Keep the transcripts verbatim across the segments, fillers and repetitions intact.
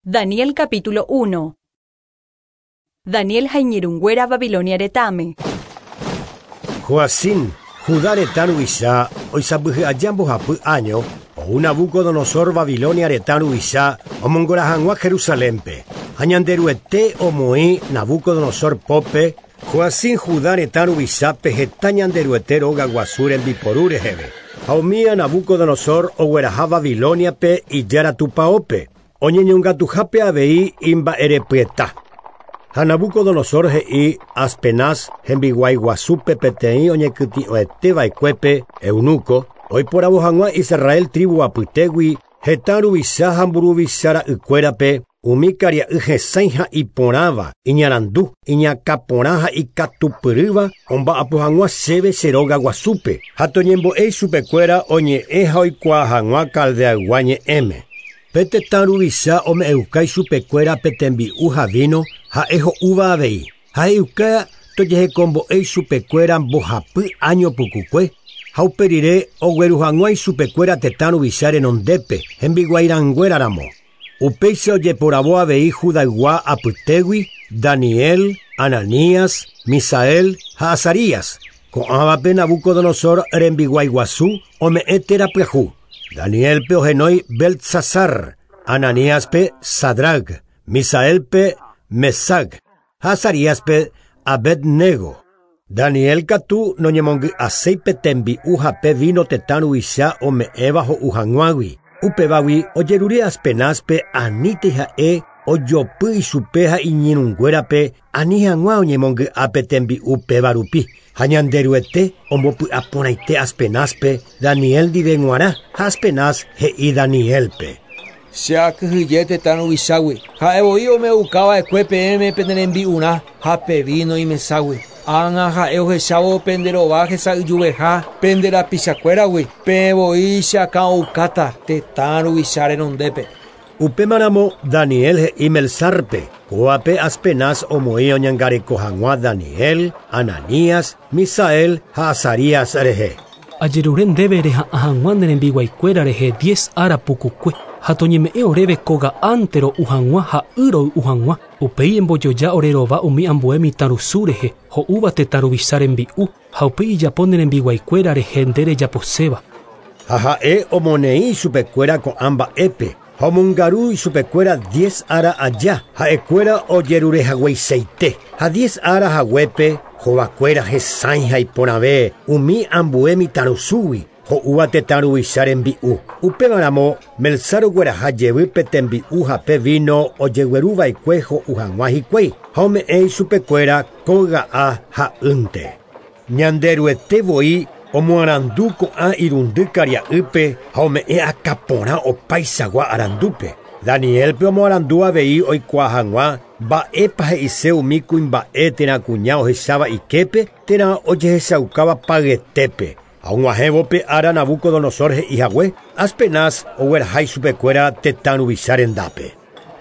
Daniel capítulo uno. Daniel ha iñirũnguéra Babilonia retãme. Joacim, Judá retã ruvicha, oisãmbyhy aja mbohapy año, ou Nabucodonosor Babilonia retã ruvicha omongora hag̃ua Jerusalénpe. Ha Ñanderuete omoĩ Nabucodonosor pópe, Joacim Judá retã ruvichápe heta Ñanderuete róga guasu rembiporu reheve. Ha umía Nabucodonosor ogueraha Babiloniape ijára tupãópe, oñeñongatuhápe avei imba'erepyeta. Ha Nabucodonosor he'i Aspenaz hembiguái guasúpe peteĩ oñekytĩ'oeteva'ekuépe eunuco, oiporavo hag̃ua Israel tribu apytégui heta ruvicha ha mburuvicha ra'ykuérape umi karia'y hesãi ha iporãva, iñarandu, iñakãporã ha ikatupyrýva omba'apo hag̃ua chéve che róga guasúpe ha toñembo'e ichupekuéra oñe'ẽ ha oikuaa hag̃ua Caldeaygua ñe'ẽme. Pe tetã ruvicha ome'ẽuka ichupekuéra pe tembi'u ha vino ha'e ho'úva avei. Ha he'iuka tojehekombo'e ichupekuéra mbohapy año pukukue ha upe rire ogueru hag̃ua ichupekuéra tetã ruvicha renondépe hembiguairãnguéraramo. Upéicha ojeporavo avei Judaygua apytégui Daniel, Ananías, Misael ha Azarías. Ko'ãvape Nabucodonosor rembiguái guasu ome'ẽ térã pyahu. Danielpe ohenói Beltsasar, Ananíaspe Sadrac, Misaelpe Mesac ha Azaríaspe Abednego. Daniel katu noñemongy'aséi tembi'u ha pe vino tetã ruvicha ome'ẽva ho'u hag̃uágui. Upévagui ojerure Aspenazpe anítei ha'e ojopy ichupe ha iñirũnguérape ani hag̃ua oñemongy'ápe tembi'u péva rupi. Ha Ñanderuete ombopy'aporãite Aspenazpe Daniel ndive g̃uarã ha Aspenaz he'i Danielpe. Che akyhyje tetã ruvichágui. Ha'e voi ome'ẽukava'ekue peẽme pene rembi'urã ha pe vino imeságui. Ág̃a ha'e ohechávo pende rova hesa'yjuveha pende rapichakuéragui. Peẽ voi che akã'oukáta tetã ruvicha renondépe. Upémaramo Daniel he'i Melsarpe, kóvape Aspenaz omoĩ oñangareko hag̃ua Daniel, Ananías, Misael ha Azarías rehe. Ajerure ndéve reha'ã hag̃ua ne rembiguaikuéra rehe diez ára pukukue ha toñeme'ẽ oréve kóga'ánte ro'u hag̃ua ha y roy'u hag̃ua. Upéi embojoja ore rova umi ambue mitãrusu rehe ho'úva tetã ruvicha rembi'u ha upéi ijapo ne rembiguaikuéra rehe nde rejaposéva. Ha ha'e omoneĩ ichupekuéra ko'ã mba'épe ha omongaru ichupekuéra diez ára aja ha'ekuéra ojerurehagueichaite ha diez ára haguépe hovakuéra hesãi ha iporãve umi ambue mitãrusúgui ho'úva tetã ruvicha rembi'u. Upémaramo Melsar ogueraha jevy pe tembi'u ha pe vino ojegueruva'ekue ho'u hag̃ua hikuái ha ome'ẽ ichupekuéra kóga'a ha'ýnte. Ñanderuete voi omoarandu ko'ã irundy karia'ýpe ha ome'ẽ akãporã opaichagua arandúpe. Danielpe omoarandu avei oikuaa hag̃ua mba'épa he'ise umi kuimba'e térã kuña ohecháva iképe térã ojehechaukáva payetépe. Ha og̃uahẽvo ára Nabucodonosor he'i hague, Aspenaz ogueraha ichupekuéra tetã ruvicha rendápe.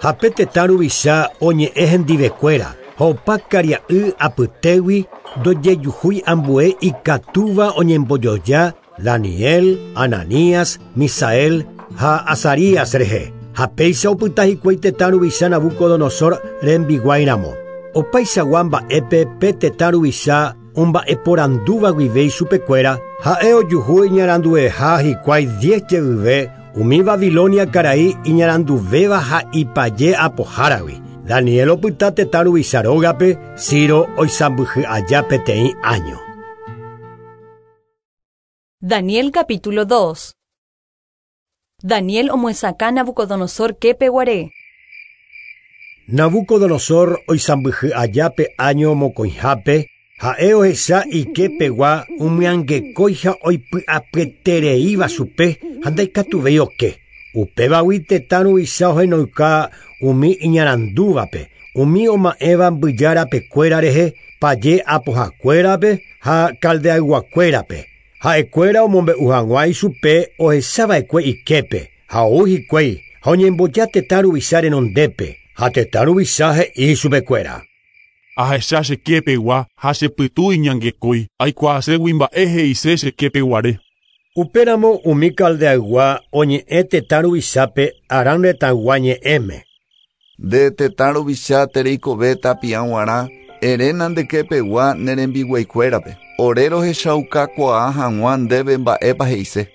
Ha pe tetã ruvicha oñe'ẽ hendivekuéra ha opa karia'y apytégui ndojejuhúi ambue ikatúva oñembojoja Daniel, Ananías, Misael ha Azarías rehe. Ha péicha opyta hikuái tetã ruvicha Nabucodonosor rembiguáiramo. Opaichagua mba'épe pe tetã ruvicha omba'eporandúva guive ichupekuéra ha'e ojuhu iñarandueha hikuái diez jeyve umi Babilonia karai iñaranduvéva ha ipaje apoháragui. Daniel opyta tetã ruvicha rógape Ciro oisãmbyhy aja peteĩ año. Daniel capítulo dos. Daniel omyesakã Nabucodonosor képe guare. Nabucodonosor oisãmbyhy aja pe año mokõihápe ha'e ohecha iképegua umyangekói ha oipy'apyetereíva chupe ha ndaikatuvéi oke. Upévagui tetã ruvicha ohenoika umi iñarandúvape, umi oma'ẽva mbyjarapekuéra rehe, paje apohakuérape ha Caldeayguakuérape. Ha'ekuéra omombe'u hag̃ua ichupe ohechava'ekue iképe ha ou hikuái ha oñemboja tetã ruvicha renondépe ha tetã ruvicha he'i ichupekuéra. Ahecha che képegua ha chepytu iñangekói aikuaaségui mba'e he'ise che képeguare. Upéramo umi Caldeaygua oñe'ẽ tetã ruvichápe Aram retãygua ñe'ẽme. Nde tetã ruvicha tereikove tapia g̃uarã ere ndekepegua ne rembiguaikuérape. Ore rohechaukakuaa hag̃ua ndéve mba'épa he'ise.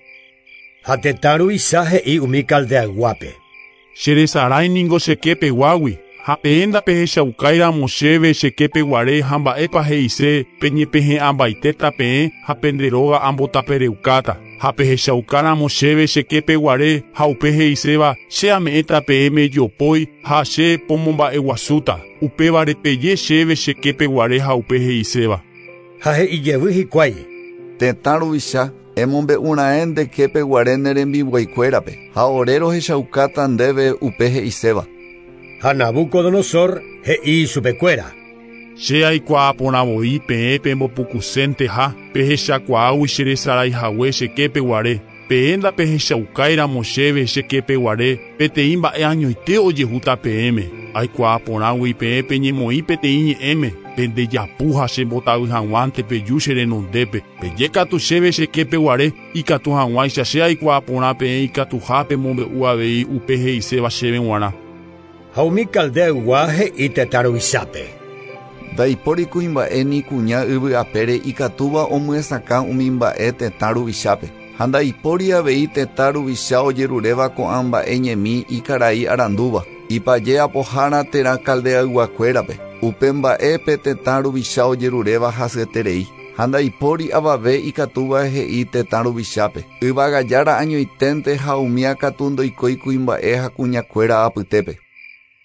Ha tetã ruvicha he'i umi Caldeayguápe. Cheresarái ningo chekepeguágui ha peẽ ndapehechaukáiramo chéve chekepeguare ha mba'épa he'ise peñepehe'ãmbaitéta peẽ ha pende róga ambotapereukáta. Ha pehechaukáramo chéve chekepeguare ha upe he'iséva che ame'ẽta peẽme jopói ha che pomomba'eguasúta. Upévare peje chéve chekepeguare ha upe he'iséva. Ha he'ijevy hikuái. Tetã ruvicha emombe'ura'ẽ ndekepeguare ne rembiguaikuérape ha ore rohechaukáta ndéve upe he'iséva. Ha Nabucodonosor he'i chupekuéra. Che aikuaaporãvoi peẽ pembopukusénteha pehechakuaágui cheresaraihague chekepeguare. Peẽ ndapehechaukáiramo chéve chekepeguare peteĩ mba'e añoite ojehúta peẽme. Aikuaaporãgui peẽ peñemoĩ peteĩ ñe'ẽme pendejapu ha chembotavy hag̃uánte peju che renondépe. Pejékatu chéve chekepeguare ikatu hag̃uáicha che aikuaaporã peẽ ikatuha pemombe'u avei upe he'iséva chéve g̃uarã. Ha umi Caldeaygua he'i tetã ruvichápe. Ndaipóri kuimba'e ni kuña yvy apére ikatúva omyesakã umi mba'e tetã ruvichápe. Ha ndaipóri avei tetã ruvicha ojeruréva ko'ã mba'e ñemi ikarai arandúva. Ipaje apohára térã Caldeayguakuérape. Upe mba'épe tetã ruvicha ojeruréva hasyeterei. Ha ndaipóri avave ikatúva he'i tetã ruvichápe. Yvagajára añoiténte ha umía katu ndoikói kuimba'e ha kuñakuéra apytépe.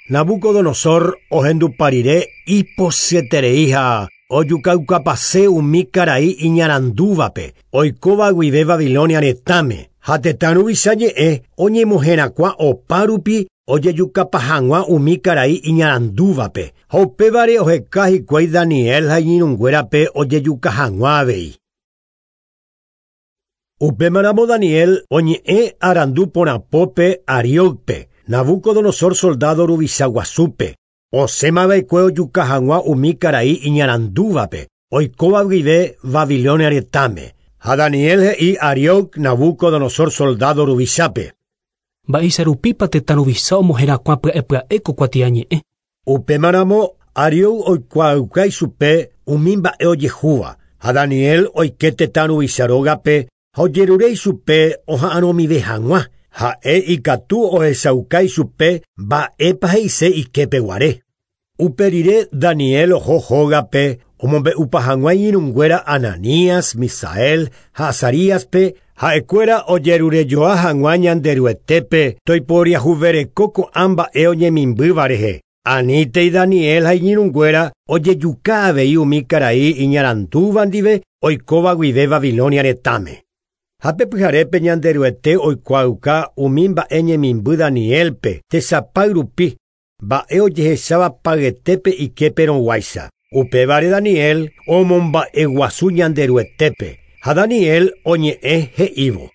Nabucodonosor ohenduparire iposyeterei ha ojukaukapase umi karai iñarandúvape oikóva guive Babilonia retãme ha tetã ruvicha ñe'ẽ oñemoherakuã opa rupi ojejukapa hag̃ua umi karai iñarandúvape ha upévare oheka hikuái Daniel ha iñirũnguérape ojejuka hag̃ua avei. Upémaramo Daniel oñe'ẽ arandu porãpópe Ariócpe, Nabucodonosor soldado ruvicha guasúpe, osẽmava'ekue ojuka hag̃ua umi karai iñarandúvape, oikóva guive Babilonia retãme. Ha Daniel he'i Arioc Nabucodonosor soldado ruvichápe. Mba'eicharupípa tetã ruvicha omoherakuã pya'epya'e ko kuatiañe'ẽ. Upémaramo Arioc oikuaauka ichupe umi mba'e ojehúva. Ha Daniel oike tetã ruvicha rógape ha ojerure ichupe oha'arõmive hag̃ua. Ha'e ikatu ohechauka ichupe mba'épa he'ise ikepeguare. Upe rire Daniel oho hógape omombe'upa hag̃ua iñirũnguéra Ananías, Misael ha Azaríaspe ha'ekuéra ojerurejoa hag̃ua Ñanderuetépe toiporiahuvereko ko'ã mba'e oñemimbýva rehe. Anítei Daniel ha iñirũnguéra ojejuka avei umi karai iñarandúva ndive oikóva guive Babilonia retãme. Ha pepyharépe Ñanderuete oikuaauka umi mba'e ñemimby Danielpe tesapay rupi mba'e ojehecháva payetépe iképerõguáicha. Upévare Daniel omomba'eguasu Ñanderuetépe ha Daniel oñe'ẽ he'ívo.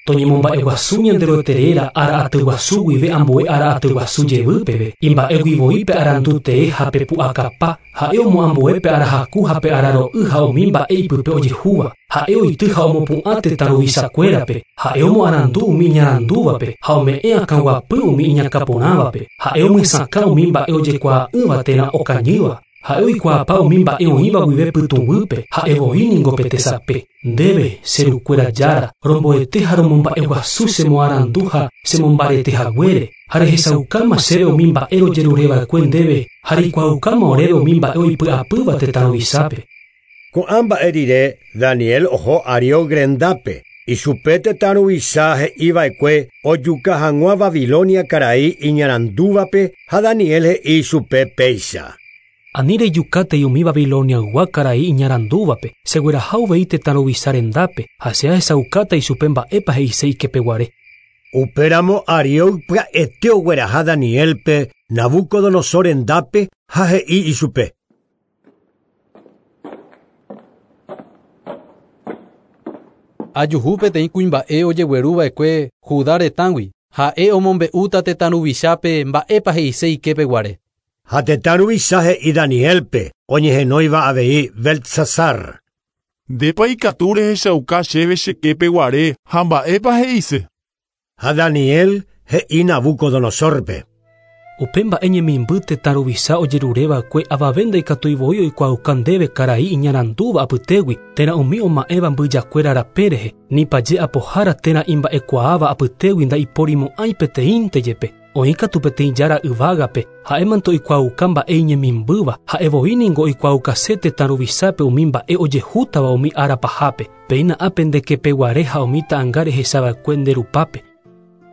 Toñemomba'eguasu Ñanderuete réra ára atyguasu guive ambue ára atyguasu jevýpeve. Imba'eguivoípe arandutee ha pepu'akapa. Ha'e omoambuépe arahaku ha pe araro'y ha umi mba'e ipype ojehúva. Ha'e oity ha omopu'ã tetã ruvichakuérape. Ha'e omoarandu umi iñarandúvape ha ome'ẽ akãguapy umi iñakãporãvape. Ha'e omyesakã umi mba'e ojekuaa'ỹva térã okañýva. Ha'e oikuaapa umi mba'e oĩva guive pytũguýpe, ha'e voi ningo pe tesape. Ndéve, che rukuéra jára, romboete ha romomba'eguasu chemoarandu ha chemombarete haguére. Ha rehechaukáma chéve umi mba'e rojerureva'ekue ndéve ha reikuaaukáma oréve umi mba'e oipy'apýva tetã ruvichápe. Ko'ã mba'e rire Daniel oho Arioc rendápe. Ichupe tetã ruvicha he'iva'ekue ojuka hag̃ua Babilonia karai iñarandúvape ha Daniel he'i chupe péicha. Ani rejukátei umi Babiloniaygua karai iñarandúvape, chegueraha uvei tetã ruvicha rendápe ha che ahechaukáta ichupe mba'épa he'ise ikepeguare. Upéramo Arioc pya'ete ogueraha Danielpe Nabucodonosor rendápe ha he'i ichupe. Ajuhu peteĩ kuimba'e ojegueruva'ekue Judá retãgui. Ha'e omombe'úta tetã ruvichápe mba'épa he'ise ikepeguare. Ha tetã ruvicha he'i Danielpe oñehenóiva avei Beltsasar. Ndépa ikatu rehechauka chéve chekepeguare ha mba'épa he'ise. Ha Daniel he'i Nabucodonosorpe. Upe mba'e ñemimby tetã ruvicha ojerureva'ekue avave ndaikatuivoi oikuaauka ndéve karai iñarandúva apytégui térã umi oma'ẽva mbyjakuéra rape rehe ni paje apohára térã imba'ekuaáva apytégui ndaiporimo'ãi peteĩnte jepe. Oĩkatu peteĩ jára yvágape ha'émante oikuaauka mba'e iñemimbýva ha'evoi ningo oikuaukase tetã ruvichápe umi mba'e ojehútava umi ára pahápe. Péina ápe ndekepeguare ha umi ta'ãnga rehechava'ekue nde rupápe.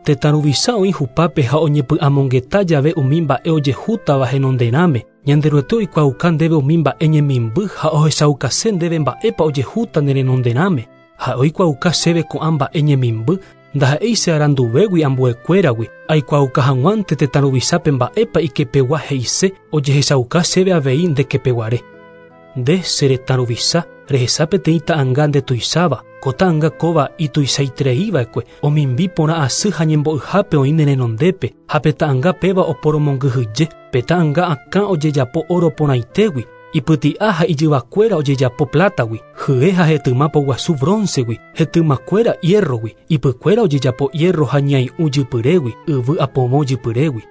Tetã ruvicha oĩ hupápe ha oñepy'amongeta jave umi mba'e ojehútava henonderãme. Ñanderuete oikuaauka ndéve umi mba'e ñemimby ha ohechaukase ndéve mba'épa ojehúta ne renonderãme. Ha oikuaauka chéve ko'ã mba'e ñemimby ndaha'éi che aranduvégui ambuekuéragui aikuaauka hag̃uánte tetã ruvichápe mba'épa ikepegua he'ise ojehechauka chéve avei ndekepeguare. Nde che retã ruvicha rehecha peteĩ ta'ãnga ndetuicháva ko ta'ãnga kóva ituichaitereiva'ekue omimbi porã asy ha ñembo'yhápe oĩ ne renondépe ha pe ta'ãnga péva oporomongyhyje pe ta'ãnga akã ojejapo oro porãitégui ipyti'a ha ijyvakuéra ojejapo plátagui hye ha hetyma poguasu broncegui hetymakuéra hierrogui ipykuéra ojejapo hierro ha ñai'ũ jypyrégui yvy apovõ jypyrégui.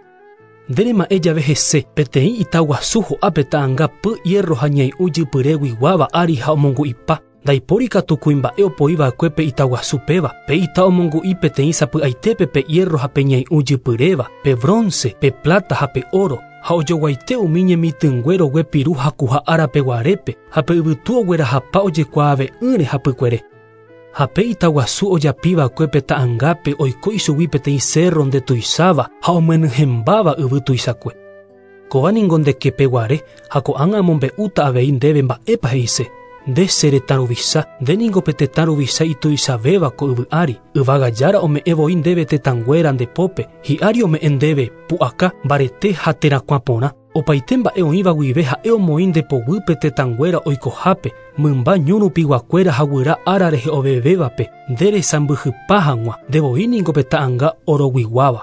Nderema'ẽ jave hese peteĩ itaguasu ho'a pe ta'ãnga py hierro ha ñai'ũ jypyréguiguáva ári ha omongu'ipa. Ndaipóri katu kuimba'e opoiva'ekue pe itaguasu péva. Pe ita omongu'i peteĩ sapy'aitépe pe hierro ha pe ñai'ũ jypyréva, pe bronce, pe plata ha pe oro. Ha ojoguaite umi ñemitỹngue rogue piru hakuha árape guarépe ha pe yvytu oguerahapa ojekuaave'ỹre hapykuere. Ha pe itaguasu ojapiva'ekue pe ta'ãngápe oiko ichugui peteĩ cerro ndetuicháva ha omyenyhẽmbáva yvy tuichakue. Kóva ningo ndekepeguare ha ko'ág̃a amombe'úta avei ndéve mba'épa he'ise. Nde che retã ruvicha, nde ningo pe tetã ruvicha ituichavéva ko yvy ári. Yvága jára ome'ẽ voi ndéve tetãnguéra nde pópe, hi'ári ome'ẽ ndéve pu'aka, mbarete ha terakuã porã. Opaite mba'e oĩva guive ha'e omoĩ nde poguýpe tetãnguéra oikohápe, mymba ñu rupiguakuéra ha guyra ára rehe ovevévape, nde resãmbyhypa hag̃ua, nde voi ningo pe ta'ãnga oroguiguáva.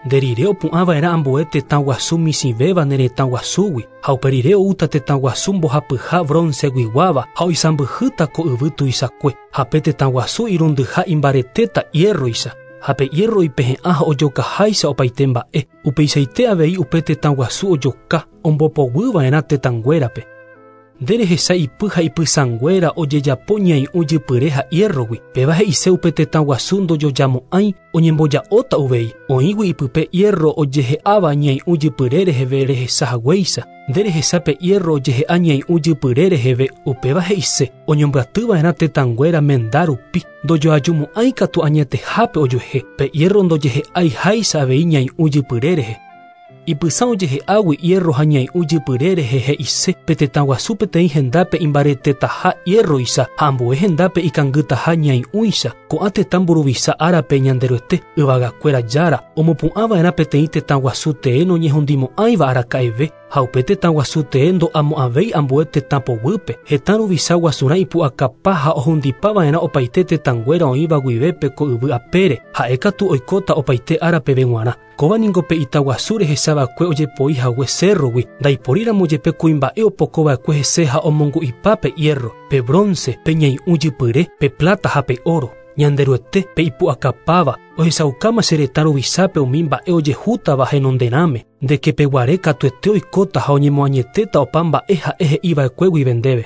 Nde rire opu'ãva'erã ambue tetã guasu michĩvéva ne retã guasúgui ha upe rire oúta tetã guasu mbohapyha bronceguiguáva ha oisãmbyhýta ko yvy tuichakue ha pe tetã guasu irundyha imbaretéta hierroicha ha pe hierro ipehe'ã ha ojokaháicha opaite mba'e upeichaite avei upe tetã guasu ojoka ombopoguýva'erã tetãnguérape. Nde rehecha ipy ha ipysãnguéra ojejapo ñai'ũ jypyre ha hierrogui péva he'ise upe tetã guasu ndojojamo'ãi oñemboja'óta uvei oĩgui ipype hierro ojehe'áva ñai'ũ jypyre reheve rehecha haguéicha. Nde rehecha pe hierro ojehe'a ñai'ũ jypyre reheve upéva he'ise oñombyatyva'erã tetãnguéra menda rupi ndojoajumo'ãi katu añetehápe ojuehe pe hierro ndojehe'aiháicha avei ñai'ũ jypyre rehe. Ipysã ojehe'águi hierro ha ñai'ũ jypyre rehe he'ise pe tetã guasu peteĩ hendápe imbaretetaha hierroicha ha ambue hendápe ikangytaha ñai'ũicha. Ko'ã tetã mburuvicha árape Ñanderuete yvagakuéra jára omopu'ãva'erã peteĩ tetã guasu tee noñehundimo'ãiva araka'eve ha upe tetã guasu tee ndo'amo'ãvéi ambue tetã poguýpe. Hetã ruvicha guasurã ipu'akapa ha ohundipava'erã opaite tetãnguéra oĩva guivépe ko yvy apére ha'ékatu oikóta opaite árapeve g̃uarã. Kóva ningo pe itaguasu rehechava'ekue ojepoi hague cerrogui ndaiporíramo jepe kuimba'e opokova'ekue hese ha omongu'ipa pe hierro, pe bronce, pe ñai'ũ jypyre, pe plata ha pe oro. Ñanderuete pe ipu'akapáva ohechaukáma che retã ruvichápe umi mba'e ojehútava henonderãme ndekepeguare katuete oikóta ha oñemoañetéta opa mba'e ha'e he'iva'ekue guive ndéve.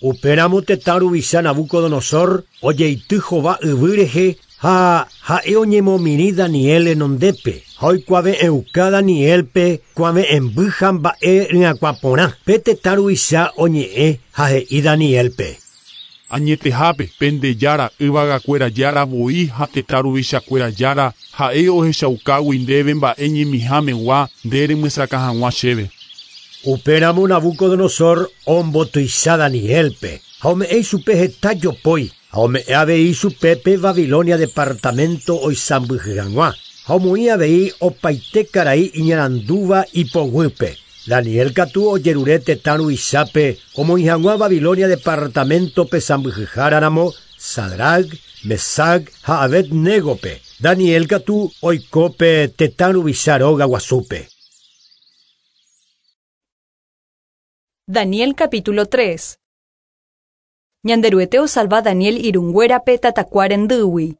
Upéramo tetã ruvicha Nabucodonosor ojeity hova yvy rehe ha ha'e oñemomirĩ Daniel renondépe ha oikuave'ẽuka Danielpe kuave'ẽmby ha mba'e ryakuã porã. Pe tetã ruvicha oñe'ẽ ha he'i Danielpe. Añetehápe pende jára yvagakuéra jára voi ha tetã ruvichakuéra jára ha'e ohechaukágui ndéve mba'e ñemihámegua nde remyesakã hag̃ua chéve. Upéramo Nabucodonosor ombotuicha Danielpe ha ome'ẽ ichupe heta jopói ha ome'ẽ avei ichupe pe Babilonia departamento oisãmbyhy hag̃ua ha omoĩ avei opaite karai iñarandúva ipoguýpe. Daniel katu ojerure tetã ruvichápe omoĩ hag̃ua Babilonia departamento-pe sãmbyhyháraramo Sadrac, Mesac ha Abednégope. Daniel katu oikópe tetã ruvicha róga guasúpe. Daniel capítulo tres. Ñanderuete osalva Daniel irũnguérape tatakuarendýgui.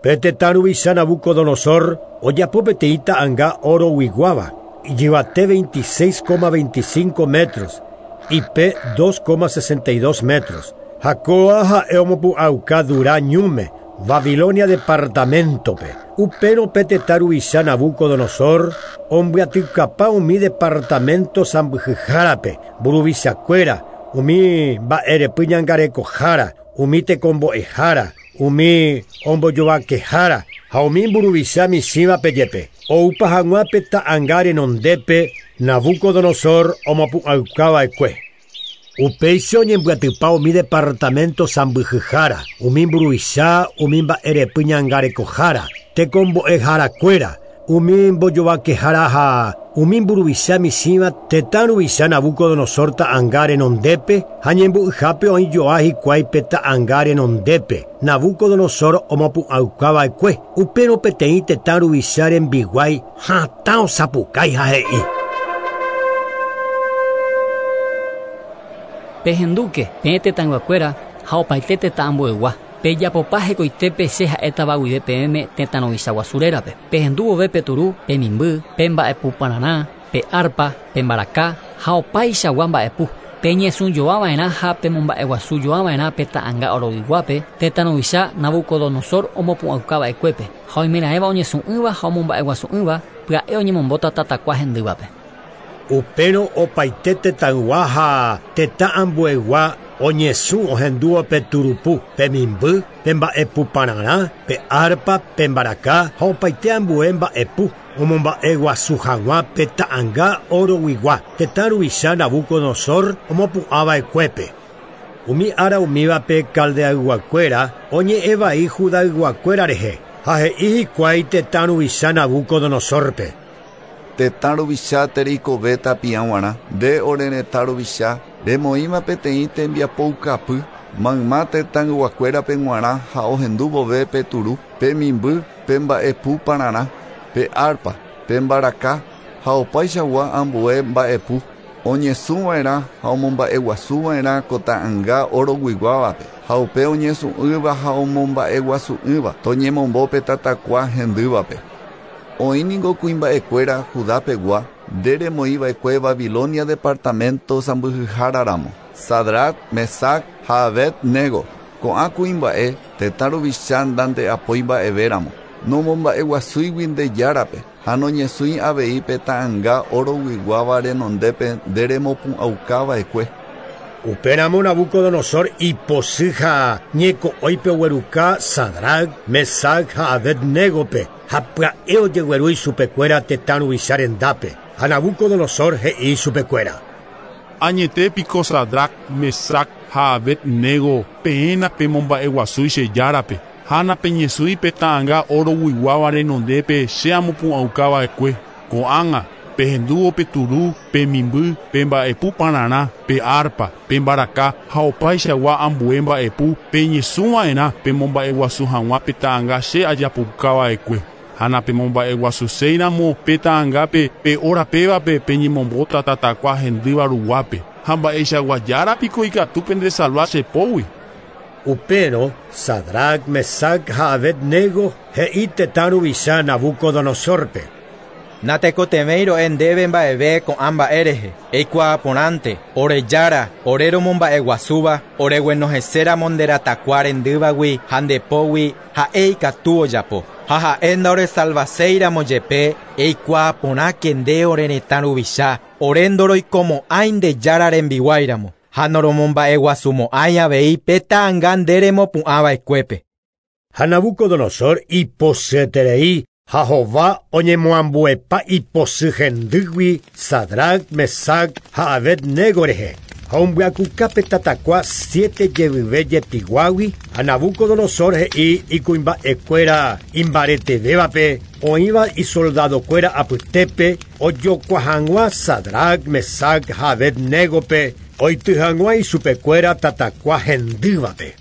Pe tetã ruvicha Nabucodonosor ojapo peteĩ ta'ãnga oroguiguáva, ijyvate veintiséis coma veinticinco metros, ipe dos coma sesenta y dos metros. Ha kóa ha'e omopu'ãuka Durá ñúme, Babilonia departamentope. Upérõ pe tetã ruvicha Nabucodonosor ombyatykapa umi departamento sãmbyhyhárape, mburuvichakuéra, umi mba'erepy ñangarekohára, umi tekombo'ehára, umi ombojovakehára ha umi mburuvicha michĩvape jepe. Oupa hag̃ua pe ta'ãnga renondépe Nabucodonosor omopu'ãukava'ekue. Upéicha oñembyatypa umi departamento sãmbyhyhára, umi mburuvicha, umi mba'erepy ñangarekohára, tekombo'eharakuéra, umi mbojovakehára ha umi mburuvicha michĩva tetã ruvicha Nabucodonosor ta'ãnga renondépe ha ñembo'yhápe oĩjoa hikuái pe ta'ãnga renondépe Nabucodonosor omopu'ãukava'ekue. Upérõ peteĩ tetã ruvicha rembiguái hatã osapukái ha he'i: Pehendúke peẽ tetãyguakuéra ha opaite tetã ambuegua. Pejapopa hekoitépe che ha'étava guive peẽme tetã ruvicha guasu rérape. Pehendu vove pe turu, pe mimby, pe mba'epupararã, pe arpa, pe mbaraka ha opaichagua mba'epu. Peñesũjoava'erã ha pemomba'eguasujoava'erã pe ta'ãnga oroguiguápe tetã ruvicha Nabucodonosor omopu'ãukava'ekuépe. Ha oimeraẽva oñesũ'ỹva ha omomba'eguasu'ỹva pya'e oñemombóta tatakua hendývape. Upérõ opaite tetãygua ha tetã ambuegua oñesũ ohendúvo pe turupu, pe mimby, pe mba'epupararã, pe arpa, pe mbaraka ha opaite ambue mba'epu omomba'eguasu hag̃ua pe ta'ãnga oroguigua tetã ruvicha Nabucodonosor omopu'ãva'ekuépe. Umi ára umívape Caldeayguakuéra oñe'ẽvai Judayguakuéra rehe ha he'i hikuái tetã ruvicha Nabucodonosorpe: Tetã ruvicha tereikove tapiag̃uarã, nde ore retã ruvicha, remoĩma peteĩ tembiapoukapy, mayma tetãyguakuérape g̃uarã ha ohendu vove pe turu, pe mimby, pe mba'epupararã, pe arpa, pe mbaraka ha opaichagua ambue mba'epu, oñesũva'erã ha omomba'eguasuva'erã ko ta'ãnga oroguiguávape, ha upe oñesũ'ỹva ha omomba'eguasu'ỹva toñemombo pe tatakua hendývape. Oĩ niko kuimba'ekuéra Judapegua nde remoĩva'ekue Babilonia departamento sãmbyhyháraramo, Sadrac, Mesac ha Abednego. Ko'ã kuimba'e tetã ruvicha ndande'apói mba'evéramo, nomomba'eguasúigui nde járape ha noñesũi avei pe ta'ãnga oroguiguáva renondépe nde remopu'ãukava'ekue. Upéramo Nabucodonosor ipochy ha ñeko'õipe ogueruka Sadrac, Mesac ha Abednégope ha pya'e ojegueru ichupekuéra tetã ruvicha rendápe. Ha Nabucodonosor he'i ichupekuéra: Añete piko Sadrac, Mesac ha Abednego peẽ napemomba'eguasúi che járape ha napeñesũi pe ta'ãnga oroguiguáva renondépe che amopu'ãukava'ekue. Ko'ág̃a pehendúvo pe turu, pe mimby, pe mba'epupararã, pe arpa, pe mbaraka ha opaichagua ambue mba'epu peñesũva'erã pemomba'eguasu hag̃ua pe ta'ãnga che ajapukava'ekue. Ha napemomba'eguasuséiramo pe ta'ãngápe pe hora pévape peñemombóta tatakua hendýva ruguápe. Ha mba'eichagua jára piko ikatu pendesalva che pógui. Upérõ Sadrac, Mesac ha Abednego he'i tetã ruvicha Nabucodonosorpe: Natekotevẽi ro'e ndéve mba'eve ko'ã mba'e rehe. Eikuaaporãnte, ore jára, ore romomba'eguasúva, oreguenohẽséramo nde ratakua rendývagui ha ndepógui ha'e ikatu ojapo. Ha ha'e ndaoresalvaséiramo jepe, eikuaaporãke nde ore retã ruvicha, ore ndoroikomo'ãi nde jára rembiguáiramo ha noromomba'eguasumo'ãi avei pe ta'ãnga nde remopu'ãva'ekuépe. Ha Nabucodonosor ipochyeterei ha hova oñemoambuepa ipochy hendýgui Sadrac, Mesac ha Abednego rehe. Ha ombyakuka pe tatakua siete jevyve jepiguágui ha Nabucodonosor he'i ikuimba'ekuéra imbaretevévape oĩva isoldadokuéra apytépe ojokua hag̃ua Sadrac, Mesac ha Abednégope oity hag̃ua ichupekuéra tatakua hendývape.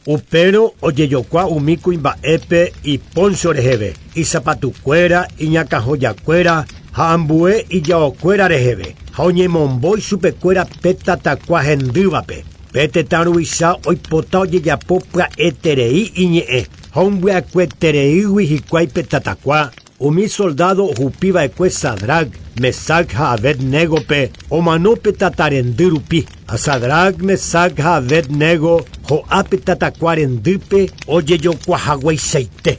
Upérõ ojejokua umi kuimba'épe iponcho reheve, isapatukuéra, iñakãhojakuéra ha ambue ijaokuéra reheve, ha oñemombo ichupekuéra pe tatakua hendývape. Pe tetã ruvicha oipota ojejapo pya'eterei iñe'ẽ. Ha ombya'ekuetereígui hikuái pe tatakua, umi soldado ohupiva'ekue Sadrac, Mesac ha Abednégope omano pe tatarendy rupi. Ha Sadrac, Mesac ha Abednego ho'a pe tatakua rendýpe ojejokuahagueichaite.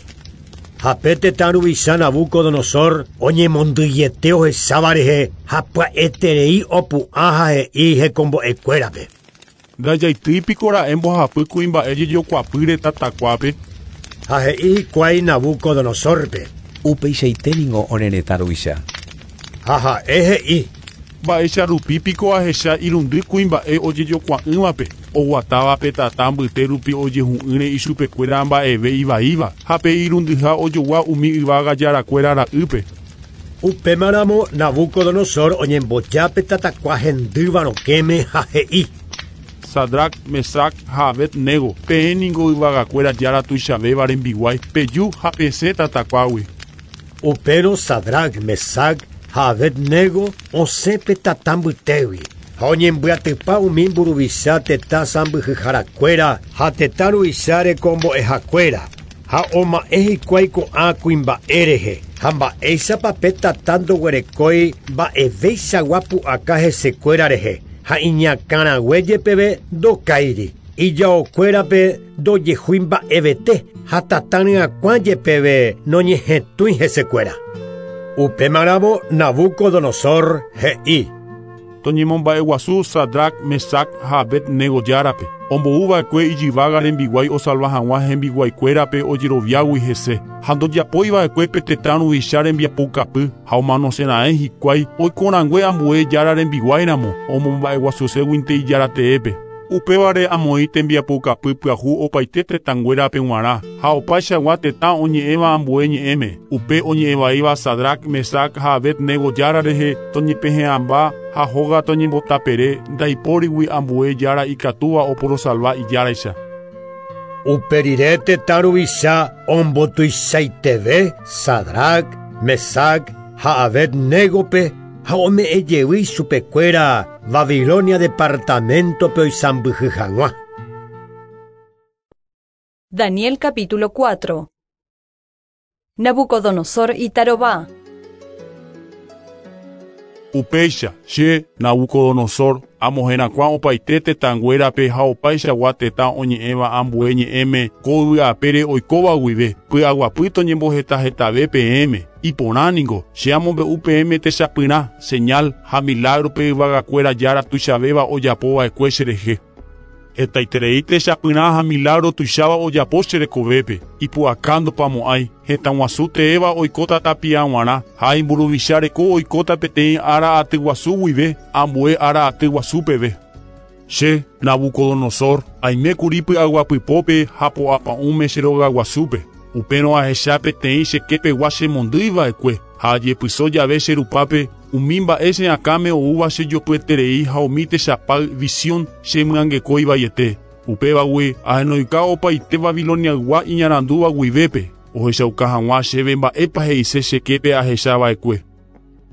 Ha pe tetã ruvicha Nabucodonosor oñemondýiete ohecháva rehe ha pya'eterei opu'ã ha he'i hekombo'ekuérape. Ndajaitýipiko ra'e mbohapy kuimba'e jejokuapýre tatakuápe. Ha he'i hikuái Nabucodonosorpe. Upeichaite ningo ore retã ruvicha. Ha ha'e he'i. Mba'éicha rupípiko ahecha irundy kuimba'e ojejokua'ỹvape oguatáva pe tata mbyte rupi ojehu'ỹre ichupekuéra mba'eve ivaíva ha pe irundyha ojogua umi yvága jarakuéra ra'ýpe. Upémaramo Nabucodonosor oñemboja pe tatakua hendýva rokẽme ha he'i. Sadrac, Mesac ha Abednego, peẽ ningo yvagakuéra jára tuichavéva rembiguái, peju ha pesẽ tatakuágui. Upérõ Sadrac, Mesac ha Abednego osẽ pe tata mbytégui ha oñembyatypa umi mburuvicha tetã sãmbyhyharakuéra ha tetã ruvicha rekombo'ehakuéra ha oma'ẽ hikuái ko'ã kuimba'e rehe ha mba'éichapa pe tata ndoguerekói mba'evéichagua pu'aka hesekuéra rehe ha iñakãrague jepeve ndokáiri ijaokuérape ndojehúi mba'evete ha tata ryakuã jepeve noñehetũi hesekuéra. Upémaramo Nabucodonosor he'i. Toñemomba'eguasu Sadrac, Mesac ha Abednego járape omboúva'ekue ijyvága rembiguái osalva hag̃ua hembiguaikuérape ojeroviágui hese ha ndojapoiva'ekue pe tetã ruvicha rembiapokapy ha omanosẽra'ẽ hikuái oikorãngue ambue jára rembiguáiramo omomba'eguasuséguinte ijára teépe. Upévare amoĩ tembiapokapy pyahu opaite tetãnguérape g̃uarã ha opaichagua tetã oñe'ẽva ambue ñe'ẽme. Upe oñe'ẽvaíva Sadrac, Mesac ha Abednego jára rehe toñepehe'ãmba ha hóga toñembotapere ndaipórigui ambue jára ikatúva oporosalva ijáraicha. Upe rire tetã ruvicha ombotuichaiteve Sadrac, Mesac ha Abednégope ha ome'ẽjey chupekuéra Babilonia departamentope oisãmbyhy hag̃ua. Daniel capítulo cuatro. Nabucodonosor itarova. Upéicha che Nabucodonosor amoherakuã opaite tetãnguérape ha opaichagua tetã oñe'ẽva ambue ñe'ẽme ko yvy apére oikóva guive py'aguapy toñembohetahetave peẽme. Iporã ningo che amombe'u peẽme techapyrã, señal ha milagro-pe yvagakuéra jára tuichavéva ojapova'ekue cherehe. Hetaiterei techapyrã ha milagro tuicháva ojapo cherekovépe ipu'aka ndopamo'ãi hetãguasu teéva oikóta tapia g̃uarã ha imburuvicha reko oikóta peteĩ ára aty guasu guive ambue ára aty guasu peve. Che Nabucodonosor aimékuri py'aguapypópe ha po'apa'ũme che rogaguasúpe. Upérõ ahecha peteĩ chekepegua chemondýiva'ekue ha ajepyso jave che rupápe umi mba'e che akãme oúva chejopyeterei ha umi techapay visión chemyangekóivaiete. Upévagui ahenoika opaite Babiloniaygua iñarandúva guivépe ohechauka hag̃ua chéve mba'épa he'ise cheképe ahechava'ekue.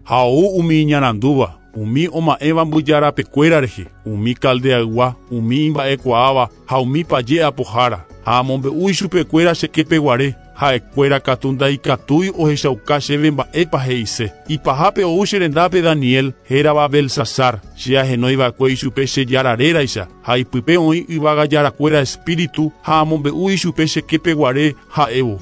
Ha ou umi iñarandúva, umi oma'ẽva mbyjarapekuéra rehe, umi caldeaygua, umi imba'ekuaáva ha umi paje apohára. Ha amombe'u ichupekuéra cheképeguare ha'ekuéra katu ndaikatúi ohechauka chéve mba'épa he'ise. Ipahápe ou che rendápe Daniel hérava Belsasar, che ahenóiva'ekue ichupe che jára réraicha ha ipype oĩ yvága jarakuéra espíritu ha amombe'u ichupe cheképeguare ha'évo.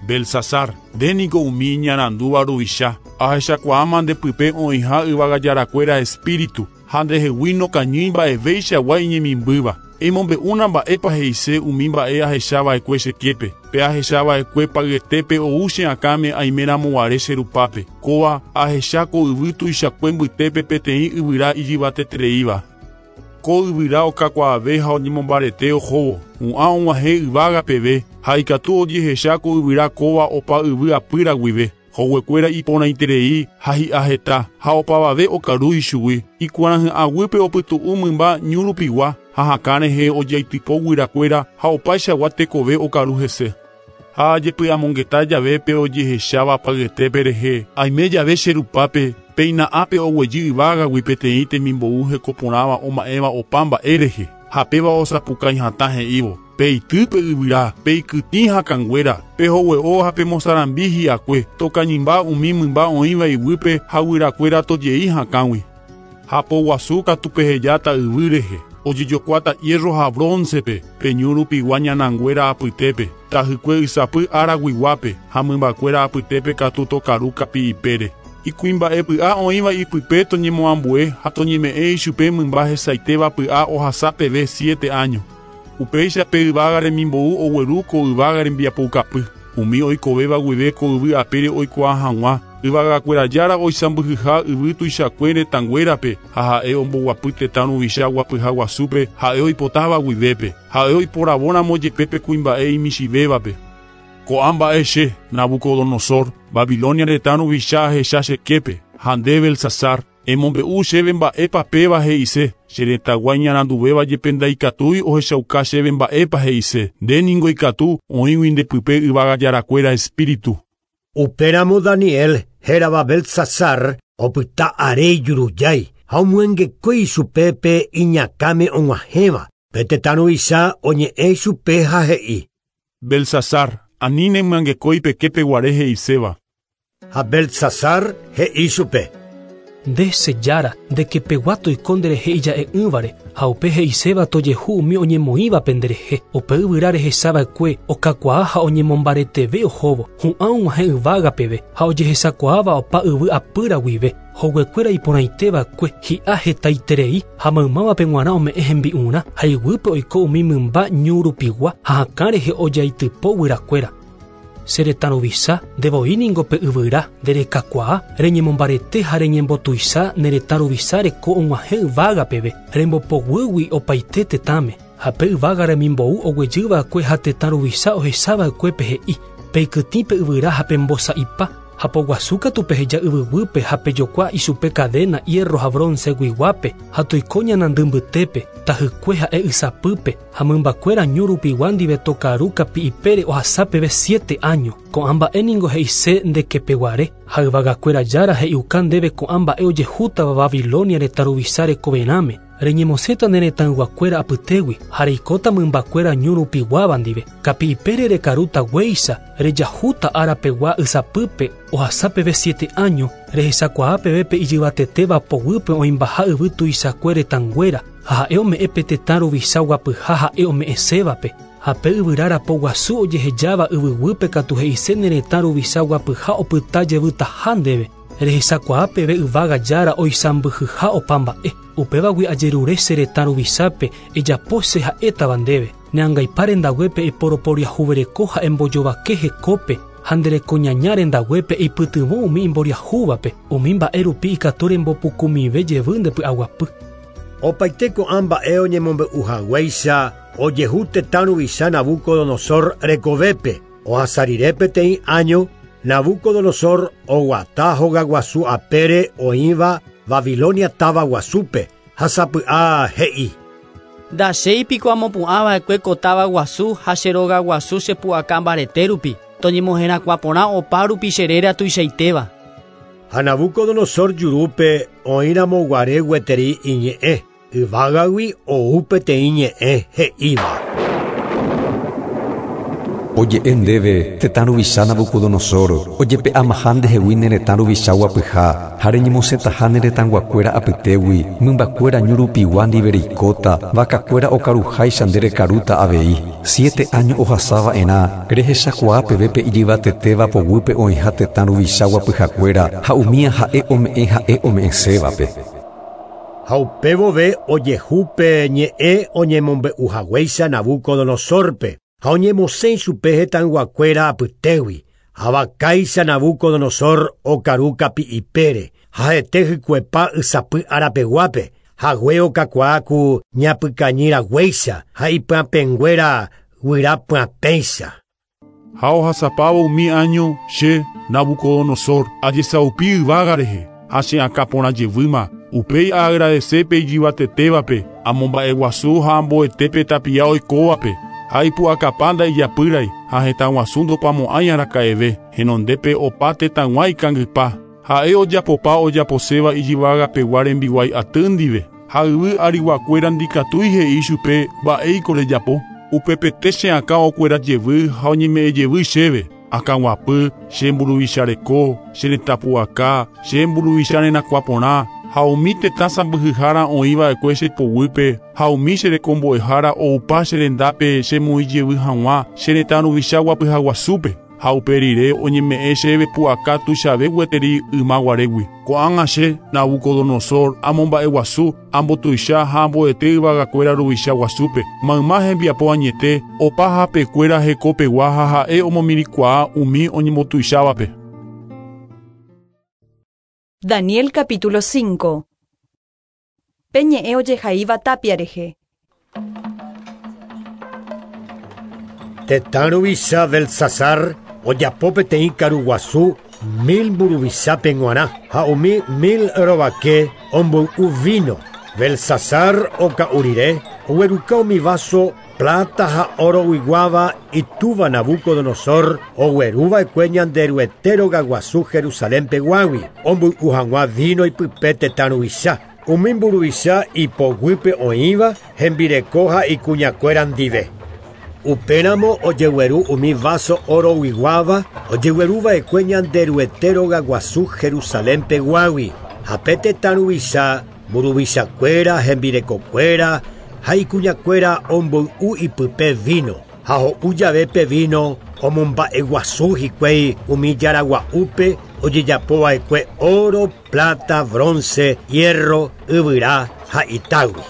Belsasar, nde niko umi iñarandúva ruvicha, ahechakuaáma ndepype oĩha yvága jarakuéra espíritu ha ndehegui nokañýi mba'evéichagua iñemimbýva. Emombe'úna mba'épa he'ise umi mba'e ahechava'ekue cheképe. Pe ahechava'ekue pagyetépe ou che akãme aimeramoguare che rupápe. Kóva ahecha ko yvy tuichakue mbytépe peteĩ yvyra ijyvatetereíva. Ko yvyra okakuaave ha oñemombarete ohóvo. Hu'ã og̃uahẽ yvága peve ha ikatu ojehecha ko yvyra kóva opa yvy apýra guive. Hoguekuéra iporãiterei ha hi'a heta ha opavave okaru ichugui. Ikuarahy'ãguýpe opytu'u mymba ñu rupigua ha hakã rehe ojaitypo guyrakuéra ha opaichagua tekove okaru hese. Ha ajepy'amongeta jave pe ojehecháva pagyetépe rehe aime jave che rupápe péina ápe oguejy yvágagui peteĩ temimbou hekoporãva oma'ẽva opa mba'e rehe ha péva osapukái hatã he'ívo. Peitýpe yvyra, peikytĩ hakãnguéra, pehogue'o ha pemosarambi hi'akue, tokañymba umi mymba oĩva iguýpe ha guyrakuéra tojei hakãgui. Ha poguasu katu pehejáta yvy rehe, ojejokuáta hierro ha broncepe, peñu rupigua ñananguéra apytépe, tahykue ysapy ára guiguápe ha mymbakuéra apytépe katu tokaru kapi'ipére. Ikuimba'epy'a oĩva ipype toñemoambue ha toñeme'ẽ ichupe mymba hesaitéva py'a ohasa peve siete años. Upéicha pe yvága remimbou ogueru ko yvága rembiapoukapy. Umi oikovéva guive ko yvy apére oikuaa hag̃ua, yvagakuéra jára oisãmbyhyha yvy tuichakue retãnguérape ha ha'e omboguapy tetã ruvicha guapyha guasúpe ha'e oipotáva guivépe, ha'e oiporavóramo jepe pe kuimba'e imichĩvévape. Ko'ã mba'e che, Nabucodonosor, Babilonia retã ruvicha ahecha cheképe, ha nde Belsasar, emombe'u chéve mba'épa péva he'ise, che retãgua iñaranduvéva jepe ndaikatúi ohechauka chéve mba'épa he'ise, nde ningo ikatu oĩgui ndepype yvága jarakuéra espíritu. Upéramo Daniel hérava Belsasar opyta are ijurujái ha omyangekói ichupe pe iñakãme og̃uahẽva. Pe tetã ruvicha oñe'ẽ ichupe ha he'i: Belsasar, ani nemyangekói peképe guare he'iséva. Ha Belsasar he'i chupe: Nde che jára, ndekepegua toiko nderehe ija'e'ỹvare ha upe he'iséva tojehu umi oñemoĩvape nderehe. Upe yvyra rehechava'ekue okakuaa ha oñemombareteve ohóvo, hu'ã og̃uahẽ yvága peve ha ojehechakuaáva opa yvy apýra guive. Hoguekuéra iporãiteva'ekue hi'a hetaiterei ha maymávape g̃uarã ome'ẽ hembi'urã ha iguýpe oiko umi mymba ñu rupigua ha hakã rehe ojaitypo guyrakuéra. Che retã ruvicha, ndevoi ningo pe yvyra, nderekakuaa, reñemombarete ha reñembotuicha ne retã ruvicha reko og̃uahẽ yvága peve, rembopoguýgui opaite tetãme. Ha pe yvága remimbou oguejýva'ekue ha tetã ruvicha ohechava'ekuépe he'i: Peikytĩ pe yvyra ha pembosa'ipa, ha poguasu katu peheja yvyguýpe ha pejokua ichupe cadena hierro ha bronce guiguápe ha toiko ñanandy mbytépe, tahykue ha'e ysapýpe ha mymbakuéra ñu rupigua ndive tokaru kapi'ipére ohasa peve siete años. Ko'ã mba'e ningo he'ise ndekepeguare ha yvagakuéra jára he'iuka ndéve ko'ã mba'e ojehútava Babilonia retã ruvicha rekoverãme. Reñemosẽta ne retãyguakuéra apytégui ha reikóta mymbakuéra ñu rupiguáva ndive. Kapi'ipére rekarúta guéicha, rejahúta árapegua ysapýpe ohasa peve siete años, rehechakuaa peve pe ijyvatetéva poguýpe oĩmbaha yvy tuichakue retãnguéra ha ha'e ome'ẽ pe tetã ruvicha guapyha ha'e ome'ẽsévape. Ha pe yvyra rapoguasu ojehejáva yvyguýpe katu he'ise ne retã ruvicha guapyha opyta jevytaha ndéve. Rehechakuaa peve yvága jára oisãmbyhyha opa mba'e. Upévagui ajerure che retã ruvichápe ejapo che ha'étava ndéve. Neangaipa rendaguépe eiporoporiahuvereko ha embojovake hekópe ha nderekoñaña rendaguépe eipytyvõ umi imboriahúvape. Umi mba'e rupi ikatu rembopukumive jevy ndepy'aguapy. Opaite ko'ã mba'e oñemombe'uhaguéicha ojehu tetã ruvicha Nabucodonosor rekovépe. Ohasa rire peteĩ año, Nabucodonosor oguata hogaguasu apére oĩva Babilonia táva guasúpe ha sapy'a he'i: Ndachéipiko amopu'ãva'ekue ko táva guasu ha che rogaguasu chepu'aka mbarete rupi, toñemoherakuã porã opa rupi che réra tuichaitéva. Ha Nabucodonosor jurúpe oĩramo guare gueteri iñe'ẽ, yvágagui ou peteĩ ñe'ẽ he'íva: Oje'e ndéve tetã ruvicha Nabucodonosor, ojepe'amaha ndehegui ne retã ruvicha guapyha, ha reñemosẽtaha ne retãguakuéra apytégui, mymbakuéra ñu rupigua ndive reikóta, vakakuéra okaruháicha nde rekarúta avei. Siete años ohasava'erã, rehechakuaa peve pe ijyvatetéva poguýpe oĩha tetã ruvicha guapyhakuéra ha umía ha'e ome'ẽ ha'e ome'ẽsévape. Ha upévove ojehu pe ñe'ẽ oñemombe'uhaguéicha Nabucodonosorpe ha oñemosẽ ichupe hetãyguakuéra apytégui. Ha vakáicha Nabucodonosor okaru kapi'ipére ha hete hykuepa ysapy arapeguápe, hague okakuaa ku ñapykañyraguéicha ha ipyapẽnguéra guyrapyapẽicha. Ha ohasapávo umi año che, Nabucodonosor, ajesaupi yvága rehe, ha che akã porã jevýma. Upéi aagradecépe ijyvatetévape, amomba'eguasu ha amboetépe tapia oikóvape. Ha ipu'akapa ndaijapýrai ha hetãguasu ndopamo'ãi araka'eve, henondépe opa tetãgua ikangypa. Ha'e ojapopa ojaposéva ijyvagapegua rembiguái aty ndive, ha yvy ariguakuéra ndikatúi he'i chupe mba'éiko rejapo. Upepete che akã okuera jevy ha oñeme'ẽ jevy chéve. Akãguapy, che mburuvicha che retãpu'aka, che mburuvicha renakuaporã, ha umi tetã sãmbyhyhára oĩva'ekue che poguýpe, ha umi che rekombo'ehára oupa che rendápe chemoĩ jevy hag̃ua che retã ruvicha guapyhaguasúpe. Ha upe rire oñeme'ẽ chéve pu'aka tuichave gueteri ymaguarégui. Ko'ág̃a che Nabucodonosor amomba'eguasu, ambotuicha ha amboete yvagakuéra ruvicha guasúpe. Mayma hembiapo añete, opa hapekuéra hekopegua ha ha'e omomirĩkuaa umi oñembotuichávape. Daniel capítulo cinco. Peñe'ẽ ojehaíva tapia rehe. Tetã ruvicha Belsasar ojapo peteĩ karuguasu mil mburuvichápe g̃uarã ha umi mil rovake omboy'u vino. Belsasar oka'u rire ogueruka umi vaso plata ha oro guiguáva itúva Nabucodonosor ogueruva'ekue Ñanderuete rogaguasu Jerusalén peguágui omboy'u hag̃ua vino ipype tetã ruvicha. Umi mburuvicha ipoguýpe oĩva hembireko ha ikuñakuéra ndive. Upéramo ojegueru umi vaso oro guiguáva ojegueruva'ekue Ñanderuete rogaguasu Jerusalén peguágui ha pe tetã ruvicha mburuvichakuéra hembirekokuéra ha ikuñakuéra omboy'u ipype vino ha ho'u jave pe vino omomba'eguasu hikuái umi jaragua'úpe ojejapova'ekue oro, plata, bronce, hierro, yvyra ha itágui.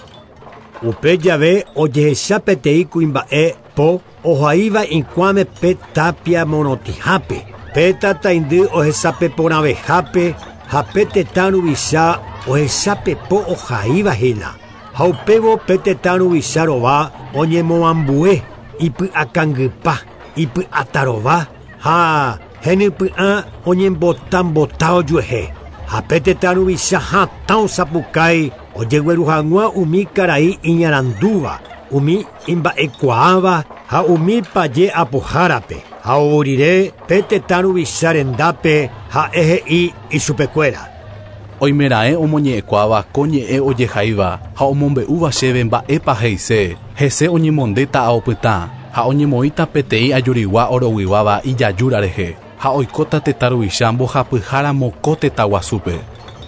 Upe jave ojehecha peteĩ kuimba'e po ohaíva ikuãme pe tapia morotĩhápe, pe tataindy ohesapeporãvehápe ha pe tetã ruvicha ohechapepo ohaívahína. Ha upévo pe tetã ruvicha rova oñemoambue ipy'akangypa, ipy'atarova ha henypy'ã oñembotambota ojuehe. Ha pe tetã ruvicha hatã osapukái ojegueru hag̃ua umi karai iñarandúva, umi imba'ekuaáva ha umi paje apohárape. Ha ou rire pe tetã ruvicha rendápe ha'e he'i ichupekuéra. Oimeraẽ omoñe'ẽkuaáva ko ñe'ẽ ojehaíva ha omombe'úva chéve mba'épa he'ise. Hese oñemondéta aopytã ha oñemoĩta peteĩ ajurigua oroguiguáva ijajúra rehe ha oikóta tetã ruvicha mbohapyháramo ko tetã guasúpe.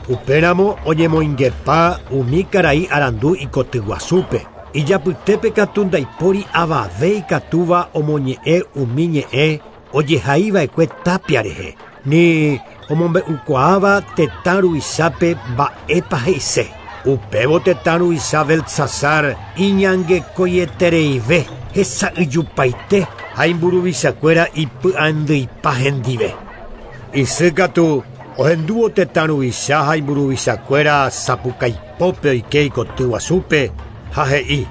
Upéramo oñemoingepa umi karai arandu ikotyguasúpe. Ijapytépe katu ndaipóri avave ikatúva omoñe'ẽ umi ñe'ẽ ojehaíva'ekue tapia rehe, ni omombe'ukuaáva tetã ruvichápe mba'épa he'ise. Upévo tetã ruvicha Belsasar iñangekoietereive hesa'yjupaite ha imburuvichakuéra ipy'andýipa hendive. Isy katu ohendúvo tetã ruvicha ha imburuvichakuéra sapukaipópe oike ikotyguasúpe ha he'i: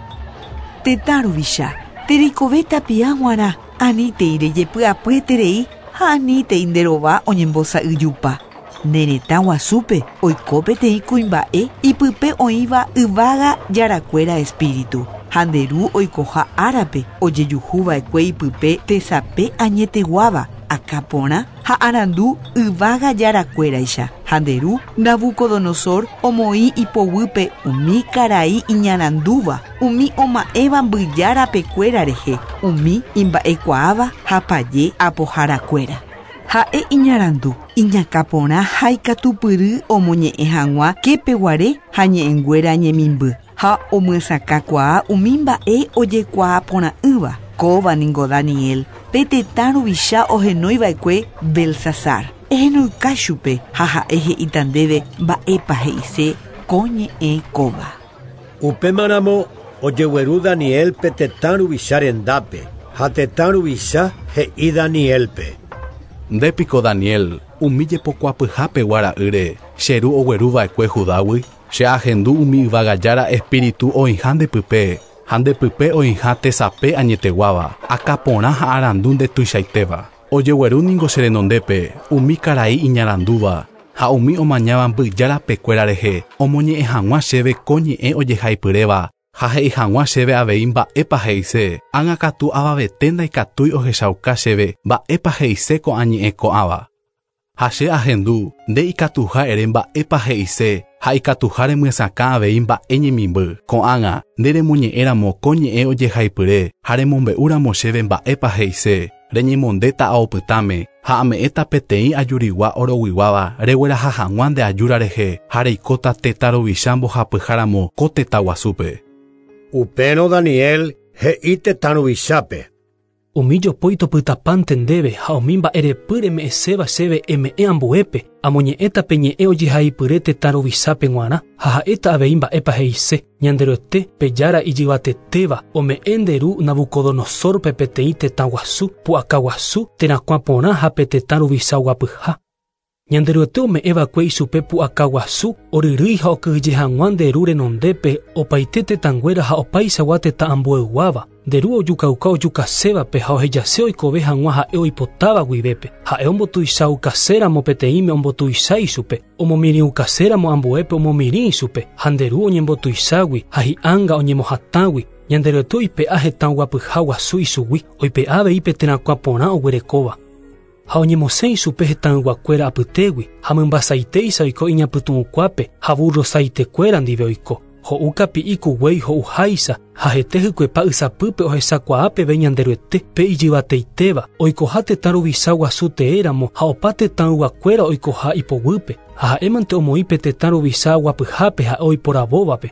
Tetã ruvicha, terekove tapia g̃uarã, anítei rejepy'apyeterei ha anítei nderova oñembosa'yjupa. Ne retã guasúpe oiko peteĩ kuimba'e ipype oĩva yvága jarakuéra espíritu. Ha nde ru oikoha árape ojejuhuva'ekue ipype tesape añeteguáva, akãporã ha arandu yvága jarakuéraicha. Ha nde ru Nabucodonosor omoĩ ipoguýpe umi karai iñarandúva, umi oma'ẽva mbyjárapekuéra rehe, umi imba'ekuaáva ha paje apoharakuéra. Ha'e iñarandu, iñakãporã ha ikatupyry omoñe'ẽ hag̃ua képeguare ha ñe'ẽnguéra ñemimby ha omyesakãkuaa umi mba'e ojekuaaporã'ỹva. Kóva ningo Daniel, pe tetã ruvicha ohenoiva'ekue Belsasar. Ehenoika chupe ha ha'e he'íta ndéve mba'épa he'ise ko ñe'ẽ kóva. Upémaramo ojegueru Danielpe tetã ruvicha rendápe ha tetã ruvicha he'i Danielpe: Ndépiko Daniel, umi jepokuapyhápegua ra'ýre che ru ogueruva'ekue Judágui, che ahendu umi yvagajára espíritu oĩha ndepype ha ndepype oĩha tesape añeteguáva, akãporã ha arandu ndetuichaitéva. Ojegueru ningo che renondépe umi karai iñarandúva ha umi omañáva mbyjárapekuéra rehe omoñe'ẽ hag̃ua chéve ko ñe'ẽ ojehaipyréva ha he'i hag̃ua chéve avei mba'épa he'ise. Ág̃a katu avavete ndaikatúi ohechauka chéve mba'épa he'ise ko'ã ñe'ẽ ko'ãva. Ha che ahendu nde ikatuha ere mba'épa he'ise ha ikatuha remyesakã avei mba'e ñemimby. Ko'ág̃a nde remoñe'ẽramo ko ñe'ẽ ojehaipyre ha remombe'úramo chéve mba'épa he'ise reñemondéta aopytãme ha ame'ẽta peteĩ ajurigua oroguiguáva regueraha hag̃ua nde ajúra rehe ha reikóta tetã ruvicha mbohapyháramo ko tetã guasúpe. Upérõ Daniel he'i tetã ruvichápe. Umi jopói topytapánte ndéve ha umi mba'erepy reme'ẽséva chéve eme'ẽ ambuépe amoñe'ẽta pe ñe'ẽ ojehaipyre tetã ruvichápe g̃uarã ha ha'éta avei mba'épa he'ise Ñanderuete pe jára ijyvatetéva ome'ẽ nde ru Nabucodonosorpe peteĩ tetã guasu pu'aka guasu terakuã porã ha pe tetã ruvicha guapyha. Ñanderuete ome'ẽva'ekue ichupe pu'aka guasu oryrýi ha okyhyje hag̃ua nde ru renondépe opaite tetãnguéra ha opaichagua tetã ambueyguáva. Nde ru ojukauka ojukasévape ha ohejase oikove hag̃ua ha'e oipotáva guivépe. Ha'e ombotuichaukaséramo peteĩme ombotuicha ichupe, omomirĩukaséramo ambuépe omomirĩ ichupe, ha nde ru oñembotuichágui ha hi'ánga oñemohatãgui. Ñanderuete oipe'a hetã guapyha guasu ichugui, oipe'a avei pe terakuã porã oguerekóva. Ha oñemosẽ ichupe hetãyguakuéra apytégui ha mymbasaiteícha oiko iñapytu'ũkuápe ha burrosaitekuéra ndive oiko. Ho'u kapi'i kuguéi ho'uháicha ha hete hykuepa ysapýpe ohechakuaa peve Ñanderuete pe ijyvateitéva oikoha tetã ruvicha guasu teéramo ha opa tetãyguakuéra oikoha ipoguýpe ha ha'émante omoĩ pe tetã ruvicha guapyhápe ha'e oiporavóvape.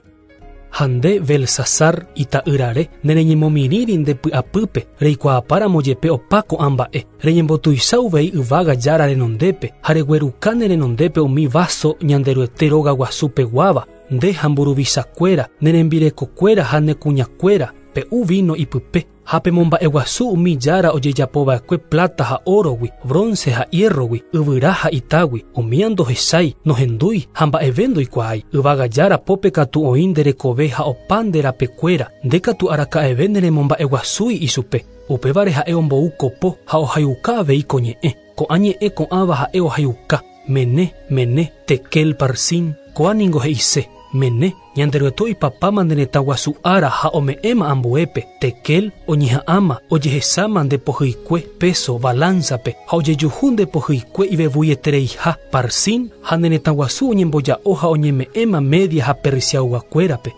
Ha nde Belsasar ita'ýrare nereñemomirĩri nde py'apýpe reikuaapáramo jepe opa ko'ã mba'e reñembotuicha uvei yvága jára renondépe ha regueruka ne renondépe umi vaso Ñanderuete róga guasupeguáva nde ha mburuvichakuéra ne rembirekokuéra ha ne kuñakuéra pe'u vino ipype ha pemomba'eguasu umi jára ojejapova'ekue plata ha orogui, bronce ha hierrogui, yvyra ha itágui, umía ndohechái, nohendúi ha mba'eve ndoikuaái. Yvága jára pópe katu oĩ nde rekove ha opa nde rapekuéra, nde katu araka'eve neremomba'eguasúi ichupe. Upévare ha'e ombou kopo ha ohayuka avei ko ñe'ẽ. Ko'ã ñe'ẽ ko'ãva ha'e ohayuka. Mene, mene, tekel parsin, ko'ã ningo he'ise. Mene, Ñanderuete oipapáma nde retã guasu ára ha ome'ẽma ambuépe, tekel oñeha'ãma ojehesáma nde pohyikue peso balanzape ha ojejuhu nde pohyikue ivevuietereiha parsin ha nde retã guasu oñemboja'o ha oñeme'ẽma Media ha Persiayguakuérape.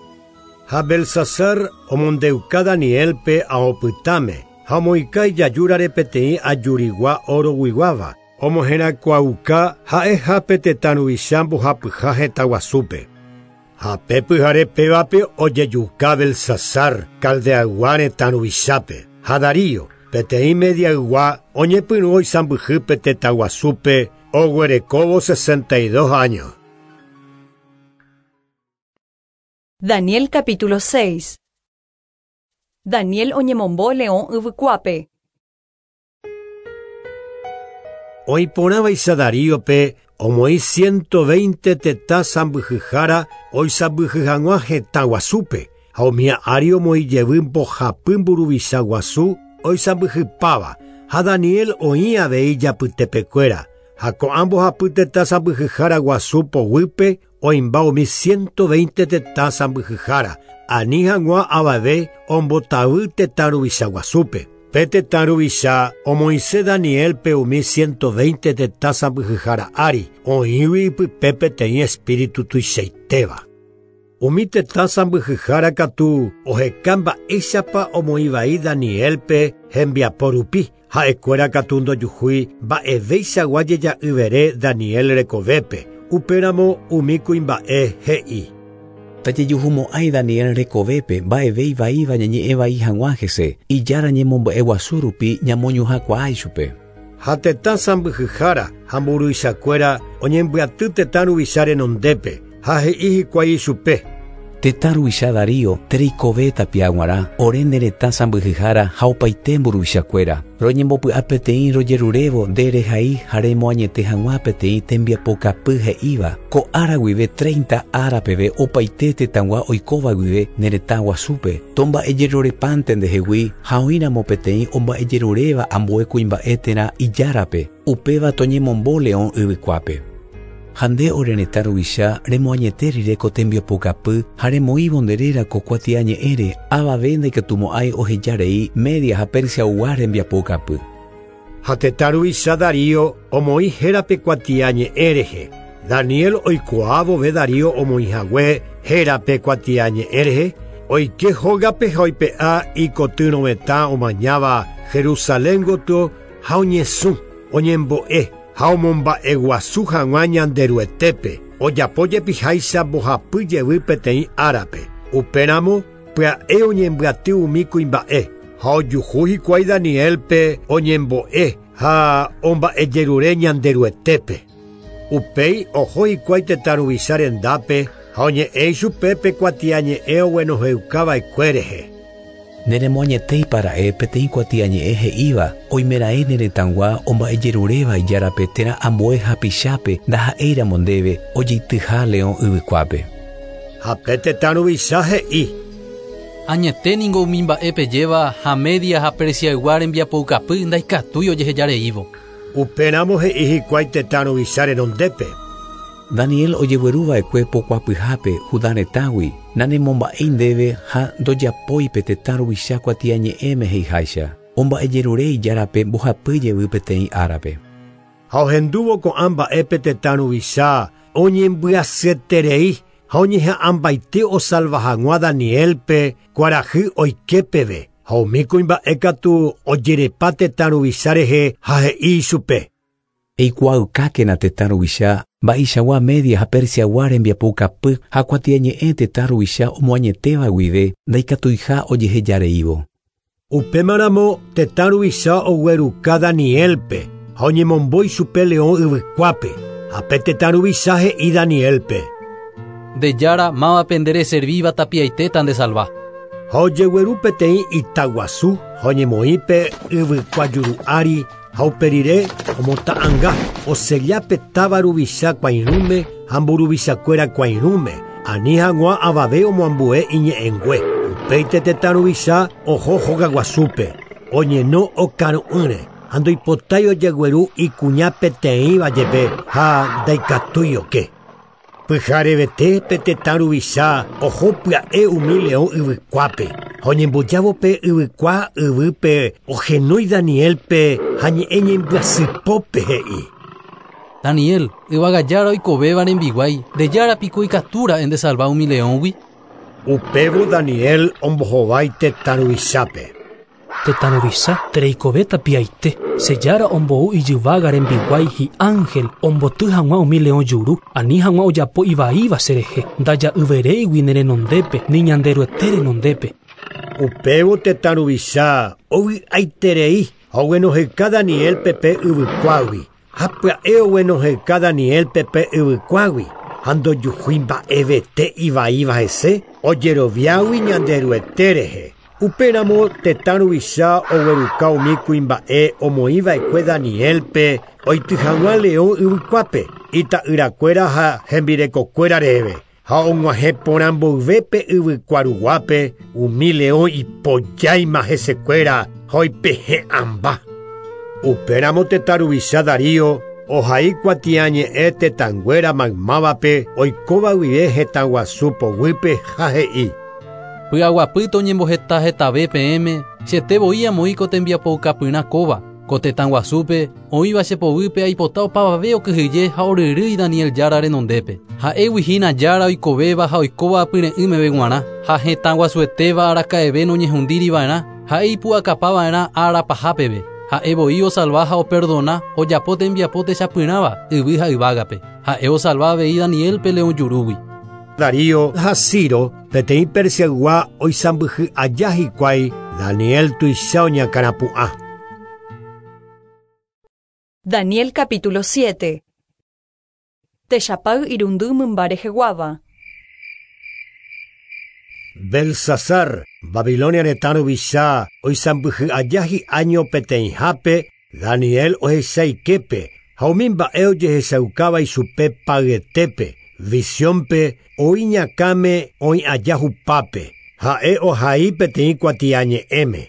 Ha Belsasar omondeuka Danielpe aopytãme ha omoĩka ijajúrare peteĩ ajurigua oroguiguáva omoherakuãuka ha'ehápe tetã ruvicha mbohapyha hetã guasúpe. Ha pe pyhare pévape ojejuka Belsasar Caldeaygua retã ruvichápe. Ha Darío peteĩ Mediaygua oñepyrũ oisãmbyhýpe tetã guasúpe oguerekóvo sesenta y dos años. Daniel capítulo seis. Daniel oñemombo leõ yvykuápe. Oiporãvaicha Daríope omoĩ ciento veinte tetã sãmbyhyhára oisãmbyhy hag̃ua hetã guasúpe ha umi ári omoĩ jevy mbohapy mburuvicha guasu oisãmbyhypáva ha Daniel oĩ avei japytepekuéra ha ko'ã mbohapy tetã sãmbyhyhára guasu poguýpe oĩmba umi ciento veinte tetã sãmbyhyhára ani hag̃ua avave ombotavy tetã ruvicha guasúpe. Pe tetã ruvicha omoĩse Danielpe umi ciento veinte tetã sãmbyhyhára ári oĩgui ipype peteĩ espíritu tuichaitéva. Umi tetã sãmbyhyhára katu oheka mba'éichapa omoĩvai Danielpe hembiapo rupi ha'ekuéra katu ndojuhúi mba'evéichagua jeja'yvere Daniel rekovépe. Upéramo umi kuimba'e he'i. Tajejuhumo'ãi Daniel rekovépe mba'eve ivaíva ñañe'ẽvai hag̃ua hese ijára ñemomba'eguasu rupi ñamoñuhãkuaa ichupe. Ha tetã sãmbyhyhára ha mburuvichakuéra oñembyaty tetã ruvicha renondépe ha he'i hikuái ichupe. Tetã ruvicha Darío tereikove tapia g̃uarã ore ne retã sãmbyhyhára ha opaite mburuvichakuéra. Roñembopy'a peteĩ rojerurévo nde rehai ha remoañete hag̃ua peteĩ tembiapokapy he'íva ko ára guive treinta ára peve opaite tetãgua oikóva guive ne retã guasúpe tomba'ejerurepánte ndehegui ha oĩramo peteĩ omba'ejeruréva ambue kuimba'e térã ijárape upéva toñemombo leõ yvykuápe. Ha nde ore retã ruvicha remoañete rire ko tembiapokapy ha remoĩvo nde réra ko kuatiañe'ẽre avave ndaikatumo'ãi ohejarei Media ha Persiaygua rembiapokapy. Ha tetã ruvicha Darío omoĩ hérape kuatiañe'ẽ rehe. Daniel oikuaa vove Darío omoĩhague hérape kuatiañe'ẽ rehe, oike hógape ha oipe'a ikotyrõvetã omañáva Jerusalén gotyo ha oñesũ, oñembo'e ha omomba'eguasu hag̃ua Ñanderuetépe, ojapo jepiháicha mbohapy jevy peteĩ árape. Upéramo pya'e oñembyaty umi kuimba'e ha ojuhu hikuái Danielpe oñembo'e ha omba'ejerure Ñanderuetépe. Upéi oho hikuái tetã ruvicha rendápe ha oñe'ẽ ichupe pe kuatiañe'ẽ oguenoheukava'ekue rehe. Neremoañetéipara'e peteĩ kuatiañe'ẽ he'íva oimeraẽ ne retãgua omba'ejeruréva ijárape térã ambue hapichápe ndaha'éiramo ndéve ojeityha leõ yvykuápe. Ha pe tetã ruvicha he'i: Añete ningo umi mba'e pejéva ha Media ha Persiaygua rembiapoukapy ndaikatúi ojehejareívo. Upéramo he'i hikuái tetã ruvicha renondépe. Daniel ojegueruva'ekue pokuapyhápe Judá retãgui nanemomba'éi ndéve ha ndojapói pe tetã ruvicha kuatiañe'ẽme he'iháicha. Omba'ejerure ijárape mbohapy jevy peteĩ árape. Ha ohendúvo ko'ã mba'épe tetã ruvicha oñembyasyeterei ha oñeha'ãmbaite osalva hag̃ua Danielpe kuarahy oike peve. Ha umi kuimba'e katu ojerepa tetã ruvicha rehe ha he'i ichupe. Eikuaaukákena tetã ruvicha mba'eichagua Media ha Persiagua rembiapoukapy ha kuatiañe'ẽ tetã ruvicha omoañetéva guive ndaikatuiha ojehejareívo. Upémaramo tetã ruvicha ogueruka Danielpe ha oñemombo ichupe leõ yvykuápe. Ha pe tetã ruvicha he'i Danielpe: Nde jára mávape nde reservíva tapiaitéta ndesalva. Ha ojegueru peteĩ itaguasu ha oñemoĩ pe yvykua juru ári ha uperire omota'ãnga osella pe táva ruvicha kuãirũme ha mburuvichakuéra kuãirũme ani hag̃ua avave omoambue iñe'ẽngue. Upéite tetã ruvicha oho hogaguasúpe oñeno okaru'ỹre ha ndoipotái ojegueru ikuña peteĩva jepe ha ndaikatúi oke. Pyharevete pe tetã ruvicha oho pya'e umi leõ yvykuápe ha oñembojávo pe yvykua yvýpe ohenói Danielpe ha ñe'ẽ ñembyasypópe he'i: Daniel, yvagajára oikovéva rembiguái, ndejára piko ikatúra'e ndesalva umi leõgui. Upévo Daniel ombohovái tetã ruvichápe. Tetã ruvicha tereikove tapiaite, che jára ombou ijyvága rembiguái hi'ángel omboty hag̃ua umi leõ juru, ani hag̃ua ojapo ivaíva cherehe, ndaja'yveréigui ne renondépe ni Ñanderuete renondépe. Upévo tetã ruvicha ovy'aiterei ha oguenoheka Danielpe pe yvykuágui. Ha pya'e oguenoheka Danielpe pe yvykuágui ha ndojuhúi mba'evete ivaíva hese ojeroviágui Ñanderuete rehe. Upéramo tetã ruvicha ogueruka umi kuimba'e omoĩva'ekue Danielpe oity hag̃ua leõ yvykuápe ita'yrakuéra ha hembirekokuéra reheve. Ha og̃uahẽ porã mboyve pe yvykua ruguápe umi leõ ipojáima hesekuéra ha oipehe'ãmba. Upéramo tetã ruvicha Darío ohai kuatiañe'ẽ tetãnguéra maymávape oikóva guive hetãguasu poguýpe ha he'i: Py'aguapy toñemboheta hetave peẽme, chete voi amoĩ ko tembiapoukapyrã kóva, ko tetãguasúpe oĩva chepoguýpe aipota opavave okyhyje ha oryrýi Daniel jára renondépe. Ha'égui hína jára oikovéva ha oikóva apyre'ỹmeve g̃uarã, ha hetãguasuetéva araka'eve noñehundíriva'erã, ha'e ipu'akapava'erã ára pahápeve. Ha'e voi osalva ha operdona ojapo tembiapo techapyrãva yvy ha yvágape. Ha'e osalva avei Danielpe leõ jurúgui. Darío ha Ciro peteĩ Persiaygua oisãmbyhy aja hikuái Daniel tuicha oñakãrapu'ã. Daniel capítulo siete. Techapay irundy mymba reheguáva. Belsasar, Babilonia retã ruvicha oisãmbyhy aja hi'áño peteĩhápe, Daniel ohechaiképe ha umi mba'e ojehechaukáva ichupe payetépe, visiónpe oĩ ñakãme oĩ aja hupápe. Ha'e ohai peteĩ kuatiañe'ẽme.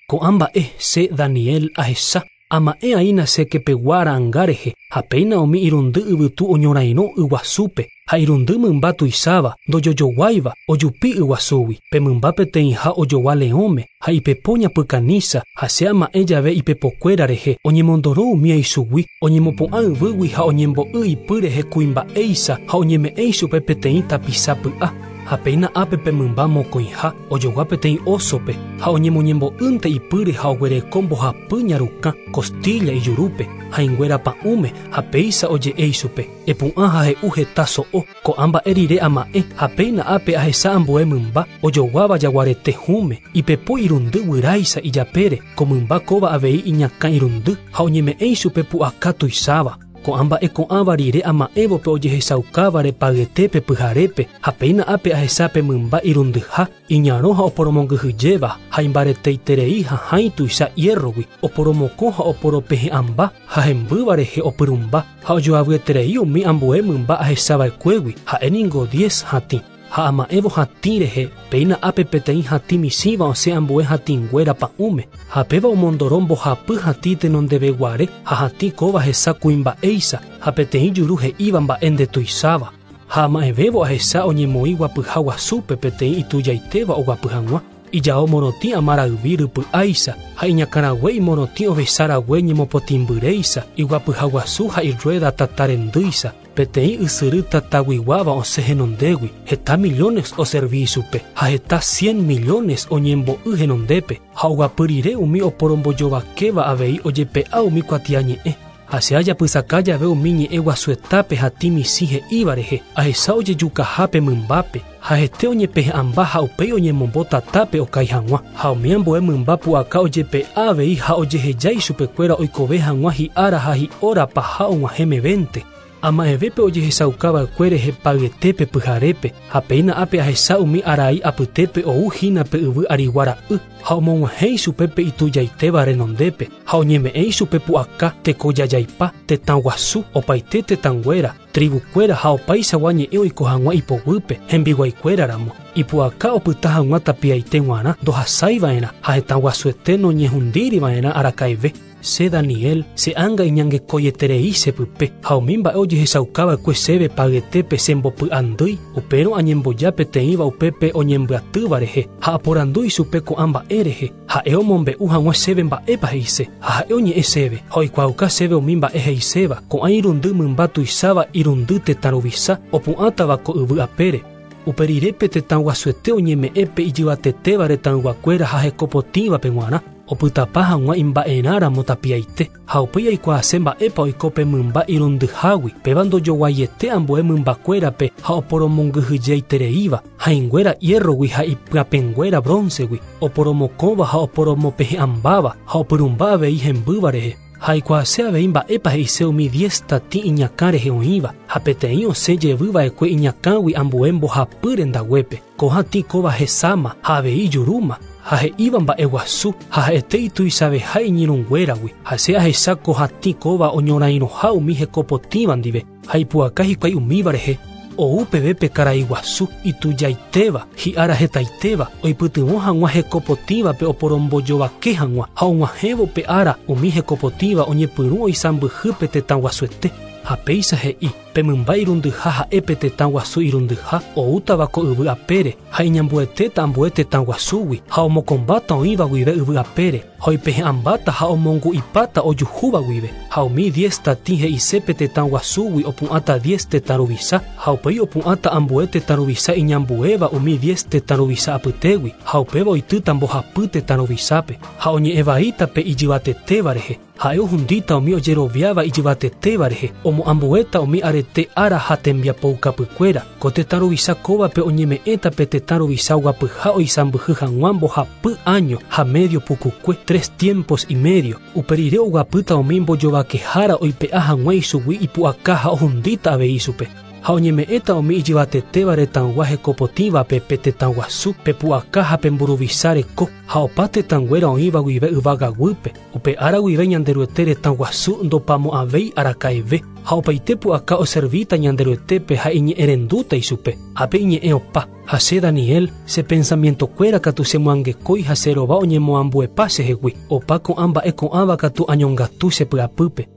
Ko'ã mba'e che Daniel ahecha Ama'ẽ aína che kepegua ra'ãnga rehe ha péina umi irundy yvytu oñorairõ yguasúpe ha irundy mymba tuicháva ndojojoguáiva ojupi yguasúgui. Pe mymba peteĩha ojogua leõme ha ipepo ñapykanísa ha che ama'ẽ jave ipepokuéra rehe oñemondoro umi aisugui oñemopu'ã yvýgui ha oñembo'y ipy rehe kuimba'éicha ha oñeme'ẽ ichupe peteĩ tapicha py'a. Ha péina ápe pe mymba mokõiha ojogua peteĩ ósope ha oñemoñembo'ýnte ipýre ha oguereko mbohapy ñarukã costilla ijurúpe hãinguéra pa'ũme ha péicha oje'e ichupe epu'ã ha he'u heta so'o. Ko'ã mba'e rire ama'ẽ ha péina ápe ahecha ambue mymba ojoguáva jaguarete hũme ipepo irundy guyráicha ijapére ko mymba kóva avei iñakã irundy ha oñeme'ẽ ichupe pu'aka tuicháva. Ko'ã mba'e ko'ãva rire ama'ẽvope ojehechaukáva repagyetépe pyharépe ha péina ápe ahecha pe mymba irundyha iñarõ ha oporomongyhyjéva ha imbareteiterei ha hãi tuicha hierrogui oporomokõ ha oporopehe'ãmba ha hembýva rehe opyrũmba ha ojoavyeterei umi ambue mymba ahechava'ekuégui ha'éningo diez hatĩ. Ha ama'ẽvo hatĩ rehe péina ápe peteĩ hatĩ michĩva osẽ ambue hatĩnguéra pa'ũme ha péva omondoro mbohapy hatĩ tenondeveguare ha hatĩ kóva hesa kuimba'éicha ha peteĩ juru he'íva mba'e ndetuicháva. Ha ama'ẽvévo ahecha oñemoĩ guapyha guasúpe peteĩ itujaitéva oguapy hag̃ua ijao morotĩ amarayvi rypy'áicha ha iñakãrague imorotĩ ovecha rague ñemopotĩmbyréicha iguapyha guasu ha irrueda tatarendýicha peteĩ ysyry tataguiguáva osẽ henondégui heta millones oservi ichupe ha heta cien millones oñembo'y henondépe ha oguapy rire umi oporombojovakéva avei ojepe'a umi kuatiañe'ẽ. Ha che ajapysaka jave umi ñe'ẽ guasuetápe hatĩ michĩ he'íva rehe ahecha ojejukahápe mymbápe ha hete oñepehe'ãmba ha upéi oñemombo tatápe okái hag̃ua ha umi ambue mymba pu'aka ojepe'a avei ha ojeheja ichupekuéra oikove hag̃ua hi'ára ha hi'óra paha og̃uahẽ mevénte. Ama'ẽvépe ojehechaukava'ekue rehe pagyetépe pyharépe ha péina ápe ahecha umi arai apytépe ou hína pe yvy arigua ra'y ha omog̃uahẽ ichupe pe itujaitéva renondépe ha oñeme'ẽ ichupe pu'aka tekojajaipa tetã guasu opaite tetãnguéra tribukuéra ha opaichagua ñe'ẽ oiko hag̃ua ipoguýpe hembiguaikuéraramo ipu'aka opyta hag̃ua tapiaite g̃uarã ndohasaiva'erã ha hetã guasuete noñehundíriva'erã araka'eve. Che Daniel, che ánga iñangekoieterei chepype ha umi mba'e ojehechaukava'ekue chéve pagyetépe chembopy'andýi upérõ añemboja peteĩva upépe oñembyatýva rehe ha aporandu ichupe ko'ã mba'e rehe ha'e omombe'u hag̃ua chéve mba'épa he'ise ha ha'e oñe'ẽ chéve ha oikuaauka chéve umi mba'e he'iséva ko'ã irundy mymba tuicháva irundy tetã ruvicha opu'ãtava ko yvy apére. Upe rirépe tetã guasuete oñeme'ẽpe ijyvatetéva retãyguakuéra ha hekopotĩvape g̃uarã opytapa hag̃ua imba'erãramo tapiaite ha upéi aikuaase mba'épa oiko pe mymba irundyhágui péva ndojoguaiete ambue mymbakuérape ha oporomongyhyjeitereíva hãinguéra hierrogui ha ipyapẽnguéra broncegui oporomokõva ha oporomopehe'ãmbáva ha opyrũmba avei hembýva rehe. Ha aikuaase avei mba'épa he'ise umi diez tatĩ iñakã rehe oĩva ha peteĩ osẽ jevyva'ekue iñakãgui ambue mbohapy rendaguépe ko hatĩ kóva hesáma ha avei ijurúma ha he'íva mba'e guasu ha ha'ete ituichaveha iñirũnguéragui ha che ahecha ko hatĩ kóva oñorairõha umi hekopotĩva ndive ha ipu'aka hikuái umíva rehe ou peve pe karai guasu itujaitéva hi'ára hetaitéva oipytyvõ hag̃ua hekopotĩvape oporombojovake hag̃ua ha og̃uahẽvo pe ára umi hekopotĩva oñepyrũ oisãmbyhy pe tetã guasuete. Ha péicha he'i pe mymba irundyha ha'e pe tetã guasu irundyha oútava ko yvy apére ha iñambuetéta ambue tetã guasúgui ha omokõmbáta oĩva guive yvy apére ha oipehe'ãmbáta ha omongu'ipáta ojuhúva guive ha umi diez tatĩ he'ise pe tetã guasúgui opu'ãta diez tetã ruvicha ha upéi opu'ãta ambue tetã ruvicha iñambuéva umi diez tetã ruvicha apytégui ha upéva oitýta mbohapy tetã ruvichápe ha oñe'ẽvaíta pe ijyvatetéva rehe ha'e ohundíta umi ojeroviáva ijyvatetéva rehe omoambuéta umi arete ára ha tembiapoukapykuéra ko tetã ruvicha kóvape oñeme'ẽta pe tetã ruvicha oguapyha oisãmbyhy hag̃ua mbohapy año ha medio pukukue tres tiempos y medio upe rire oguapýta umi mbojovakehára oipe'a hag̃ua ichugui ipu'aka ha ohundíta avei ichupe. Ha oñeme'ẽta umi ijyvatetéva retãygua hekopotĩvape pe tetã guasu, pe pu'aka ha pe mburuvicha reko, ha opa tetãnguéra oĩva guive yvagaguýpe. Upe ára guive Ñanderuete retã guasu ndopamo'ãvéi araka'eve, ha opaite pu'aka oservíta Ñanderuetépe ha iñe'ẽrendúta ichupe. Ápe iñe'ẽ opa. Ha che Daniel, che pensamientokuéra katu chemoangekói ha che rova oñemoambuepa chehegui. Opa ko'ã mba'e ko'ãva katu añongatu che py'apýpe.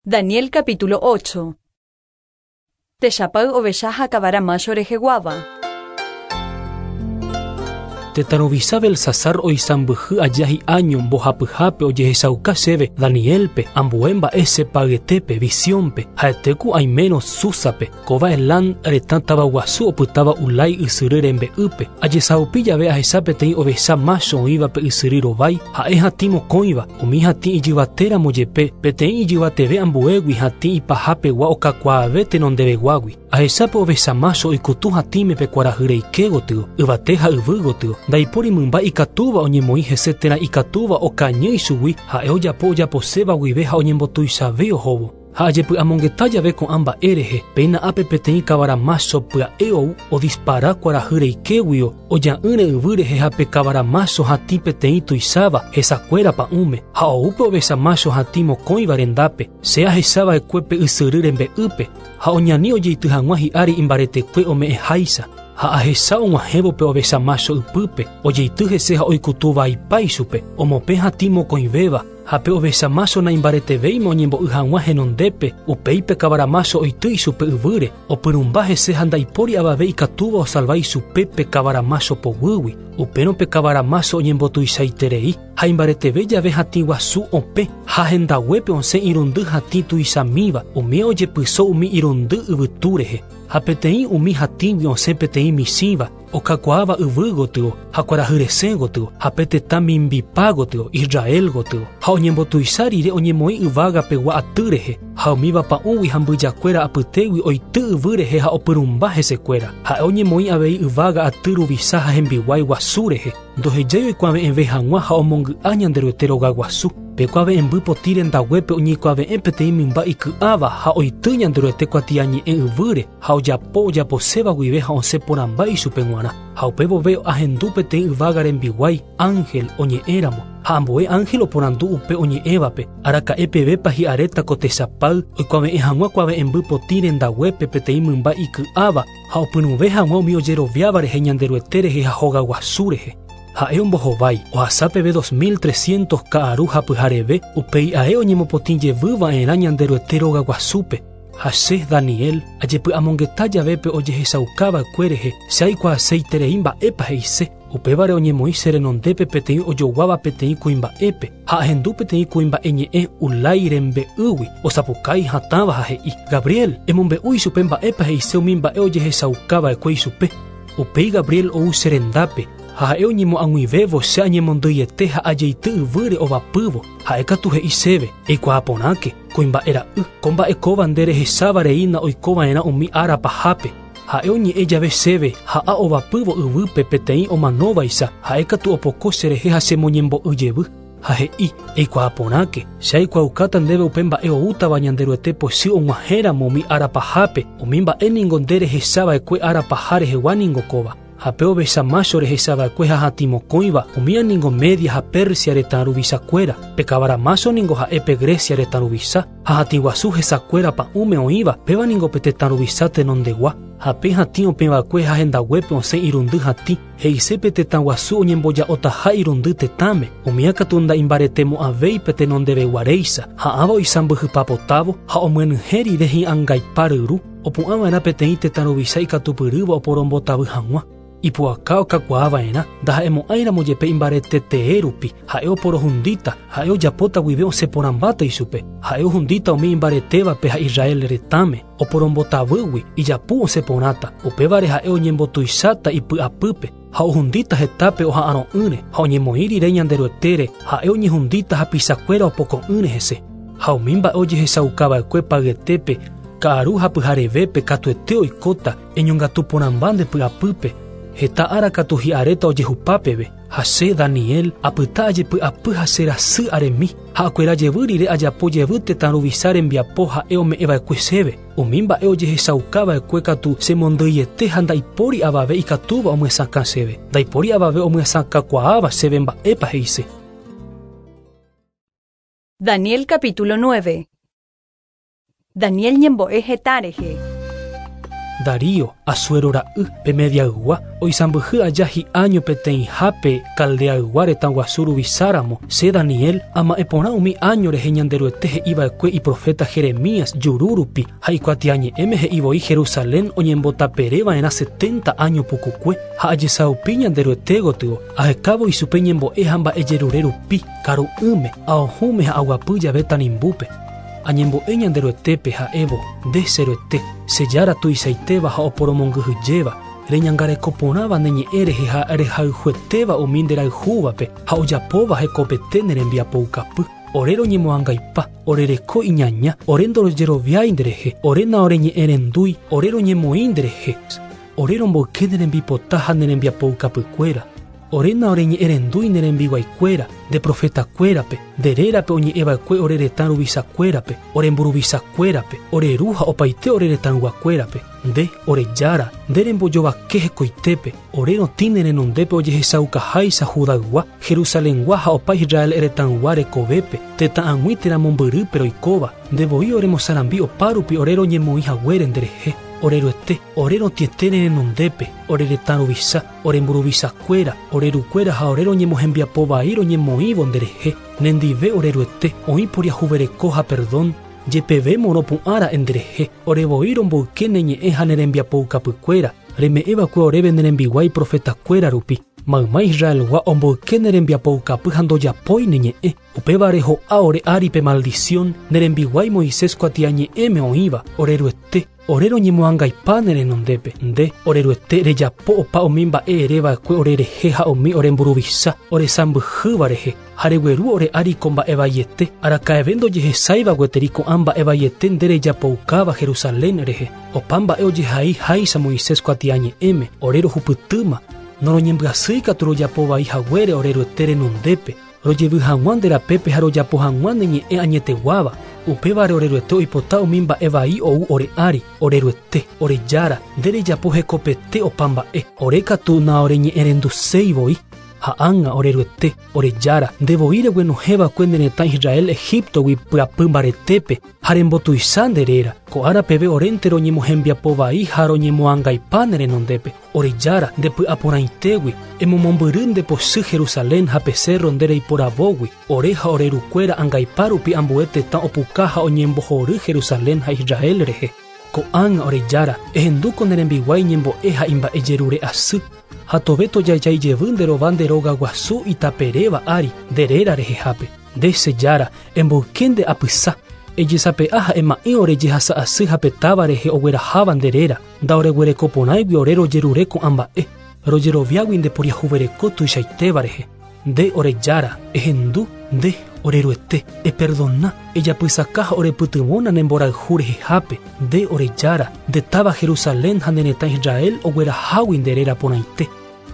Daniel capítulo ocho. Techapay ovecha ha kavara macho reheguáva. Tetã ruvicha Belsasar oisãmbyhy aja hi'áño mbohapyhápe ojehechauka chéve Danielpe ambue mba'e che payetépe visiónpe ha'etéku aimérõ Súsape kóva Elam retã tavaguasu opytáva Ulái ysyry rembe'ýpe. Ajesaupi jave ahecha peteĩ ovecha macho oĩva pe ysyry rovái ha'e hatĩ mokõiva umi hatĩ ijyvatéramo jepe peteĩ ijyvateve ambuégui hatĩ ipahapegua okakuaave tenondeveguágui. Ahechápe ovecha macho oikutu hatĩme pe kuarahy reike gotyo, yvate ha yvy gotyo. Ndaipóri mymba ikatúva oñemoĩ hese térã ikatúva okañy ichugui ha'e ojapo ojaposéva guive ha oñembotuichave ohóvo. Ha ajepy'amongeta jave ko'ã mba'e rehe, péina ápe peteĩ kavara macho pya'e ou odispara kuarahy reikéguio oja'ỹre yvy rehe ha pe kavara macho hatĩ peteĩ tuicháva hesakuéra pa'ũme ha oúpe ovecha macho hatĩ mokõiva rendápe. Che ahechava'ekue pe ysyry rembe'ýpe ha oñani ojeity hag̃ua hi'ári imbaretekue ome'ẽháicha. Ha ahecha og̃uahẽvo pe ovecha macho ypýpe ojeity hese ha oikutuvaipa ichupe omopẽ hatĩ mokõivéva ha pe ovecha macho naimbaretevéima oñembo'y hag̃ua henondépe. Upéi pe kavara macho oity ichupe yvýre opyrũmba hese ha ndaipóri avave ikatúva osalva ichupe pe kavara macho poguýgui. Upérõ pe kavara macho oñembotuichaiterei ha imbareteve jave hatĩ guasu opẽ ha hendaguépe osẽ irundy hatĩ tuichamíva umi ojepyso umi irundy yvytu rehe. Ha peteĩ umi hatĩgui osẽ peteĩ michĩva okakuaáva yvy gotyo ha kuarahy resẽ gotyo ha pe tetã mimbipa gotyo Israel gotyo ha oñembotuicha rire oñemoĩ yvágapegua aty rehe ha umíva pa'ũgui ha mbyjakuéra apytégui oity yvy rehe ha opyrũmba hesekuéra. Ha'e oñemoĩ avei yvága aty ruvicha ha hembiguái guasu rehe ndohejái oikuave'ẽve hag̃ua ha omongy'a Ñanderuete rogaguasu. Pe kuave'ẽmby potĩ rendaguépe oñeikuave'ẽ peteĩ mymba iky'áva ha oity Ñanderuete kuatiañe'ẽ yvýre ha ojapo ojaposéva guive ha osẽ porãmba ichupe g̃uarã. Ha upe vove ahendu peteĩ yvága rembiguái ángel oñe'ẽramo ha ambue ángel oporandu upe oñe'ẽvape araka'e pevépa hi'aréta ko techapay oikuave'ẽ hag̃ua kuave'ẽmby potĩ rendaguépe peteĩ mymba iky'áva ha opyrũve hag̃ua umi ojeroviáva rehe Ñanderuete rehe ha hogaguasu rehe. Ha'e ombohovái ohasa peve dos mil trescientos ka'aru ha pyhareve upéi ae oñemopotĩ jevyva'erã Ñanderuete rogaguasúpe. Ha che Daniel ajepy'amongeta jave pe ojehechaukava'ekue rehe che aikuaaseiterei mba'épa he'ise. Upévare oñemoĩ che renondépe peteĩ ojoguáva peteĩ kuimba'épe ha ahendu peteĩ kuimba'e ñe'ẽ Ulái rembe'ýgui osapukái hatãva ha he'i: Gabriel, emombe'u ichupe mba'épa he'ise umi mba'e ojehechaukava'ekue ichupe. Upéi Gabriel ou che rendápe ha ha'e oñemo'ag̃uivévo che añemondýiete ha ajeity yvýre ovapývo. Ha'e katu he'i chéve: Eikuaa porãke, kuimba'e ra'y, ko mba'e kóva nde rehecháva reína oikova'erã umi ára pahápe. Ha'e oñe'ẽ jave chéve ha'a ovapývo yvýpe peteĩ omanóvaicha ha'e katu opoko cherehe ha chemoñembo'y jevy. Ha he'i: Eikuaa porãke, che aikuaaukáta ndéve upe mba'e oútava Ñanderuete pochy og̃uahẽramo umi ára pahápe, umi mba'e ningo nde rehechava'ekue ára paha rehegua ningo kóva. Ha pe ovecha macho rehechava'ekue ha hatĩ mokõiva umía ningo Media ha Persia retã ruvichakuéra. Pe kavara macho ningo ha'e pe Grecia retã ruvicha ha hatĩ guasu hesakuéra pa'ũme oĩva péva ningo pe tetã ruvicha tenondegua. Ha pe hatĩ opẽva'ekue ha hendaguépe osẽ irundy hatĩ he'ise pe tetã guasu oñemboja'otaha irundy tetãme umía katu ndaimbaretemo'ãvéi pe tenondeveguaréicha ha'ãva oisãmbyhypapotávo ha omyenyhẽ rire hi'angaipa ryru opu'ãva'erã peteĩ tetã ruvicha ikatupyrýva oporombotavy hag̃ua. Ipu'aka okakuaava'erã ndaha'emo'ãiramo jepe imbaretetee rupi ha'e oporohundíta ha'e ojapóta guive osẽ porãmbáta ichupe ha'e ohundíta umi imbaretévape ha Israel retãme oporombotavýgui ijapu osẽ porãta upévare ha'e oñembotuicháta ipy'apýpe ha ohundíta hetápe oha'arõ'ỹre ha oñemoĩ rire Ñanderuetére ha'e oñehundíta hapichakuéra opoko'ỹre hese. Ha umi mba'e ojehechaukava'ekue payetépe ka'aru ha pyharevépe katuete oikóta eñongatu porãmba nde py'apýpe heta ára katu hi'aréta ojehupápeve Ha che Daniel apyta ajepy'apy ha che rasy aremi ha akuera jevy rire ajapo jevy tetã ruvicha rembiapo ha'e ome'ẽva'ekue chéve. Umi mba'e ojehechaukava'ekue katu chemondýiete ha ndaipóri avave ikatúva omyesakã chéve. Ndaipóri avave omyesakãkuaáva chéve mba'épa he'ise. Daniel capítulo nueve. Daniel ñembo'e heta rehe. Darío, Asuero ra'y, pe Mediaygua, oisãmbyhy aja hi'áño peteĩhápe Caldeaygua retã guasu ruvicháramo, che Daniel ama'ẽporã umi áño rehe Ñanderuete he'iva'ekue iprofeta Jeremías juru rupi ha ikuatiañe'ẽme he'ivoi Jerusalén oñembotapereva'erã setenta áño pukukue ha ajesaupi Ñanderuete gotyo ahekávo ichupe ñembo'e ha mba'ejerure rupi karu'ỹme aohũme ha aguapy jave tanimbúpe. Añembo'e Ñanderuetépe ha'évo nde cheruete che jára tuichaitéva ha oporomongyhyjéva reñangarekoporãva ne ñe'ẽ rehe ha rehayhuetéva umi nderayhúvape ha ojapóva hekopete ne rembiapoukapy. Ore roñemoangaipa, ore reko iñaña, ore ndorojeroviái nderehe, ore naoreñe'ẽrendúi, ore roñemoĩ nderehe, ore romboyke ne rembipota ha ne rembiapoukapykuéra. Ore naoreñe'ẽrendúi ne rembiguaikuéra, nde profetakuérape, nde rérape oñe'ẽva'ekue ore retã ruvichakuérape, ore mburuvichakuérape, ore ru ha opaite ore retãyguakuérape. Nde, ore jára, nde rembojovake hekoitépe, ore rotĩ ne renondépe ojehechaukaháicha Judaygua, Jerusalengua ha opa Israel retãygua rekovépe, tetã ag̃ui térã mombyrýpe roikóva, nde voi oremosarambi opárupi ore roñemoĩ haguére nderehe. Oreruete, ore rotĩete ne renondépe, ore retã ruvicha, ore mburuvichakuéra, ore rukuéra ha ore roñemohembiapovai roñemoĩvo nderehe. Nendive oreruete, oĩ poriahuvereko ha perdón, jepeve moropu'ãra'e nderehe, ore voi romboyke ne ñe'ẽ ha ne rembiapoukapykuéra, reme'ẽva'ekue oréve ne rembiguái profetakuéra rupi. Mayma Israelgua omboyke ne rembiapoukapy ha ndojapói ne ñe'ẽ. Upévare ho'a ore áripe maldición, ne rembiguái Moisés kuatiañe'ẽme oĩva, oreruete, ore roñemoangaipa ne renondépe. Nde, oreruete, rejapo opa umi mba'e ereva'ekue orerehe ha umi oremburuvicha, oresãmbyhýva rehe, ha regueru ore ári ko mba'evaiete, araka'eve ndojehesáiva gueteri ko'ã mba'evaiete nde rejapoukáva Jerusalén rehe. Opa mba'e ojehai háicha Moisés kuatiañe'ẽme, ore rohupytýma, noroñembyasýi katu rojapovai haguére oreruete renondépe, rojevy hag̃ua nde rapépe ha rojapo hag̃ua ne ñe'ẽ añeteguáva. Upévare oreruete oipota umi mba'e vai ou ore ári, oreruete, ore jára, nde rejapo hekopete opa mba'e, ore katu naoreñe'ẽrenduséi voi. Ha ág̃a oreruete, ore jára, nde voi reguenohẽva'ekue ne retã Israel Egiptogui pyapy mbaretépe ha rembotuicha nde réra. Ko ára peve orénte roñemohembiapovai ha roñemoangaipa ne renondépe. Ore jára, nde py'aporãitégui, emomombyry nde pochy Jerusalén ha pe cerro nde reiporavógui. Ore ha ore rukuéra angaipa rupi ambue tetã opuka ha oñembohory Jerusalén ha Israel rehe. Ko'ág̃a ore jára, ehendúko ne rembiguái ñembo'e ha imba'ejerure asy. Ha tove tojajaijevy nde rova nde róga guasu itaperéva ári nde réra rehehápe. Nde che jára, emboyke nde apysa, ejesape'a ha ema'ẽ ore jehasa asy ha pe táva rehe ogueraháva nde réra, ndaoreguerekoporãigui ore rojerure ko'ã mba'e, rojeroviágui nde poriahuvereko tuichaitéva rehe. Nde ore jára, ehendu, nde oreruete, eperdona, ejapysaka ha orepytyvõna ne mborayhu rehehápe. Nde ore jára, nde táva Jerusalén ha ne retã Israel oguerahágui nde réra porãite.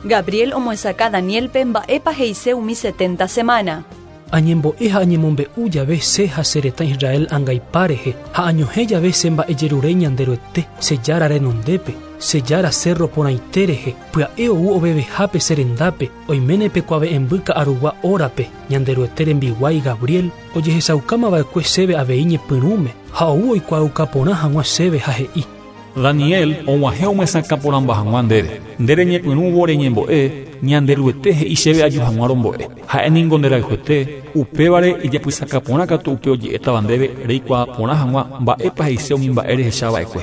Gabriel omoesakã Danielpe mba'épa he'ise umi setenta semana. Añembo'e ha añemombe'u jave che ha che retã Israel angaipa rehe, ha añohẽ jave che mba'ejerure Ñanderuete, che jára renondépe, che jára cerro porãite rehe, pya'e ou ovevehápe che rendápe, oiméne pe kuave'ẽmby ka'arugua órape, Ñanderuete rembiguái Gabriel, ojehechaukámava'ekue chéve avei ñepyrũme, ha ou oikuaaukaporã hag̃ua chéve ha he'i. Daniel og̃uahẽ omyesakãporãmba hag̃ua ndéve. Nde reñepyrũvo reñembo'e, Ñanderuete he'i chéve aju hag̃ua rombo'e. Ha'e ningo nderayhuete, upévare ijapysakaporã katu upe oje'étava ndéve reikuaaporã hag̃ua mba'épa he'ise umi mba'e rehechava'ekue.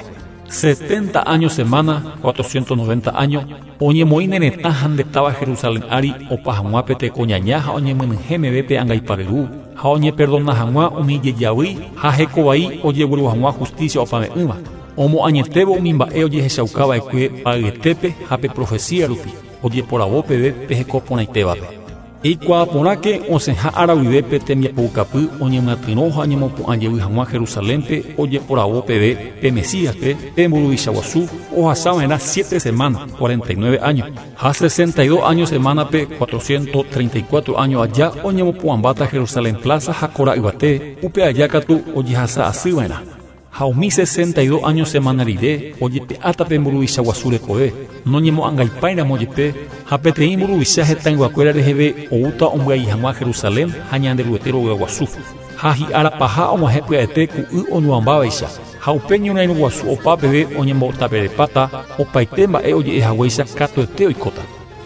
Setenta años semana, cuatrocientos noventa años, oñemoĩ ne retã ha nde táva Jerusalén ári opa hag̃ua pe tekoñaña ha oñemyenyhẽ meve pe angaiparyru, ha oñeperdona hag̃ua umi jejavy ha hekovai ojegueru hag̃ua justicia opave'ỹva. Omoañetévo umi mba'e ojehechaukava'ekue payetépe ha pe profecía rupi, ojeporavo peve pe hekoporãitévape. Eikuaa porãke osẽha ára guive pe tembiapoukapy oñemyatyrõ ha oñemopu'ã jey hag̃ua Jerusalénpe ojeporavo peve pe Mesíaspe pe mburuvicha guasu ohasava'erã siete semanas, cuarenta y nueve años, ha sesenta y dos años semánape cuatrocientos treinta y cuatro años aja oñemopu'ãmbáta Jerusalén plaza ha kora yvate upe aja katu ojehasa asyva'erã. Ha umi sesenta y dos años semana rire ojepe'áta pe mburuvicha guasu rekove noñemo'ãngaipáiramo jepe ha peteĩ mburuvicha hetãyguakuéra reheve oúta ombyai hag̃ua Jerusalén ha Ñanderuete rogaguasu. Ha hi'ára paha og̃uahẽ pya'ete ku'y oñuãmbávaicha ha upe ñorairõ guasu opa peve oñembotaperepáta opaite mba'e oje'ehaguéicha katuete oikóta.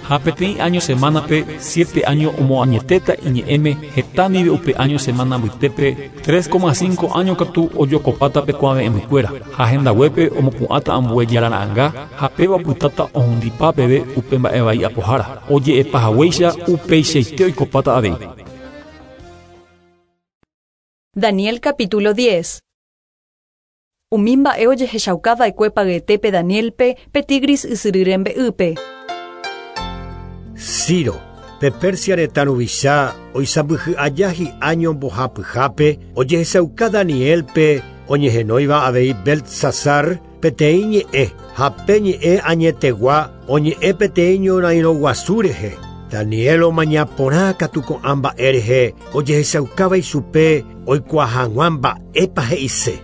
Ha peteĩ año semánape siete años omoañetéta iñe'ẽme heta ndive upe año semana mbytépe tres coma cinco años katu ojokopáta pe kuave'ẽmbykuéra ha hendaguépe omopu'ãta ambue jarara'ãnga ha péva opytáta ohundipa peve upe mba'e vai apohára oje'epahaguéicha upeichaite oikopáta avei. Daniel capítulo diez. Umi mba'e ojehechaukava'ekue payetépe Danielpe pe Tigris ysyry rembe'ýpe. Ciro, pe Persia retã ruvicha oisãmbyhy aja hi'áño mbohapyhápe ojehechauka Danielpe oñehenóiva avei Beltsasar peteĩ ñe'ẽ ha pe ñe'ẽ añetegua oñe'ẽ peteĩ ñorairõ guasu rehe. Daniel omaña porã katu ko'ã mba'e rehe ojehechaukáva ichupe oikuaa hag̃ua mba'épa he'ise.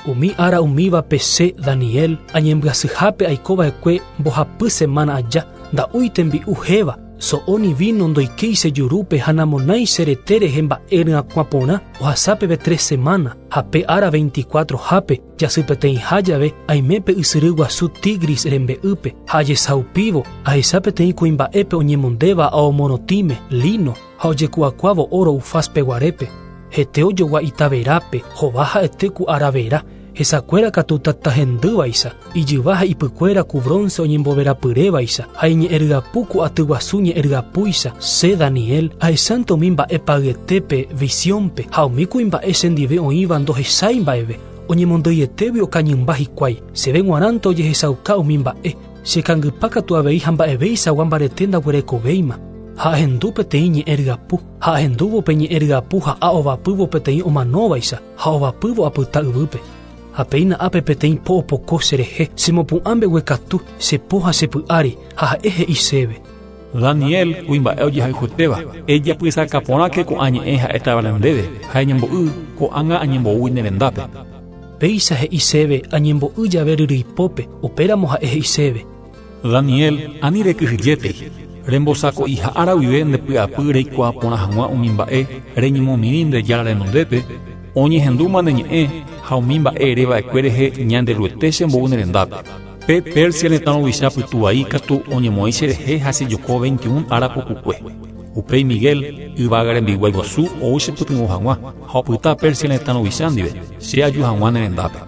Umi ára umívape che Daniel añembyasyhápe aikova'ekue mbohapy semana aja nda'úi tembi'u héva so'óni vino ndoikéi che jurúpe ha namonái che rete rehe mba'e ryakuã porã ohasa peve tres semana ha pe ára veinticuatro hápe jasy peteĩha jave aime pe ysyry guasu Tigris rembe'ýpe ha ajesaupívo ahecha peteĩ kuimba'épe oñemondéva ao morotĩme lino ha ojeku'akuávo oro Ufaz peguarépe. Hete ojogua itaverápe hova ha'ete ku aravera hesakuéra katu tatahendývaicha ijyva ha ipykuéra ku bronce oñemboverapyrévaicha ha iñe'ẽryapu ku atyguasu ñe'ẽryapúicha. Che Daniel ahechánte umi mba'e payetépe visiónpe ha umi kuimba'e chendive oĩva ndohechái mba'eve oñemondyietévi okañymba hikuái cheve g̃uarãnte ojehechauka umi mba'e chekangypa katu avei ha mba'evéichagua mbarete ndaguerekovéima. Ha ahendu peteĩ ñe'ẽryapu ha ahendúvo pe ñe'ẽryapu ha'a ovapývo peteĩ omanóvaicha ha ovapývo apyta yvýpe. Ha péina ápe peteĩ po opoko cherehe chemopu'ã mbeguekatu chepo ha chepy'ári ha ha'e he'i chéve. Daniel kuimba'e ojehayhuetéva ejapysaka porãke ko'ã ñe'ẽ ha'étava ndéve ha eñembo'y ko'ág̃a añembo'úi ne rendápe. Péicha he'i chéve añembo'y jave ryryipópe upéramo ha'e he'i chéve. Daniel ani rekyhyjétei rembosako'iha ára guive ndepy'apy reikuaa porã hag̃ua umi mba'e reñemomirĩ nde Jára renondépe oñehendúma ne ñe'ẽ ha umi mba'e ereva'ekue rehe Ñanderuete chembou ne rendápe. Pe Persia retã ruvicha pytuvai katu oñemoĩ cherehe ha chejoko veintiún ára pukukue. Upéi Miguel yvága rembiguái guasu ou chepytyvõ hag̃ua ha opyta Persia retã ruvicha ndive che aju hag̃ua ne rendápe.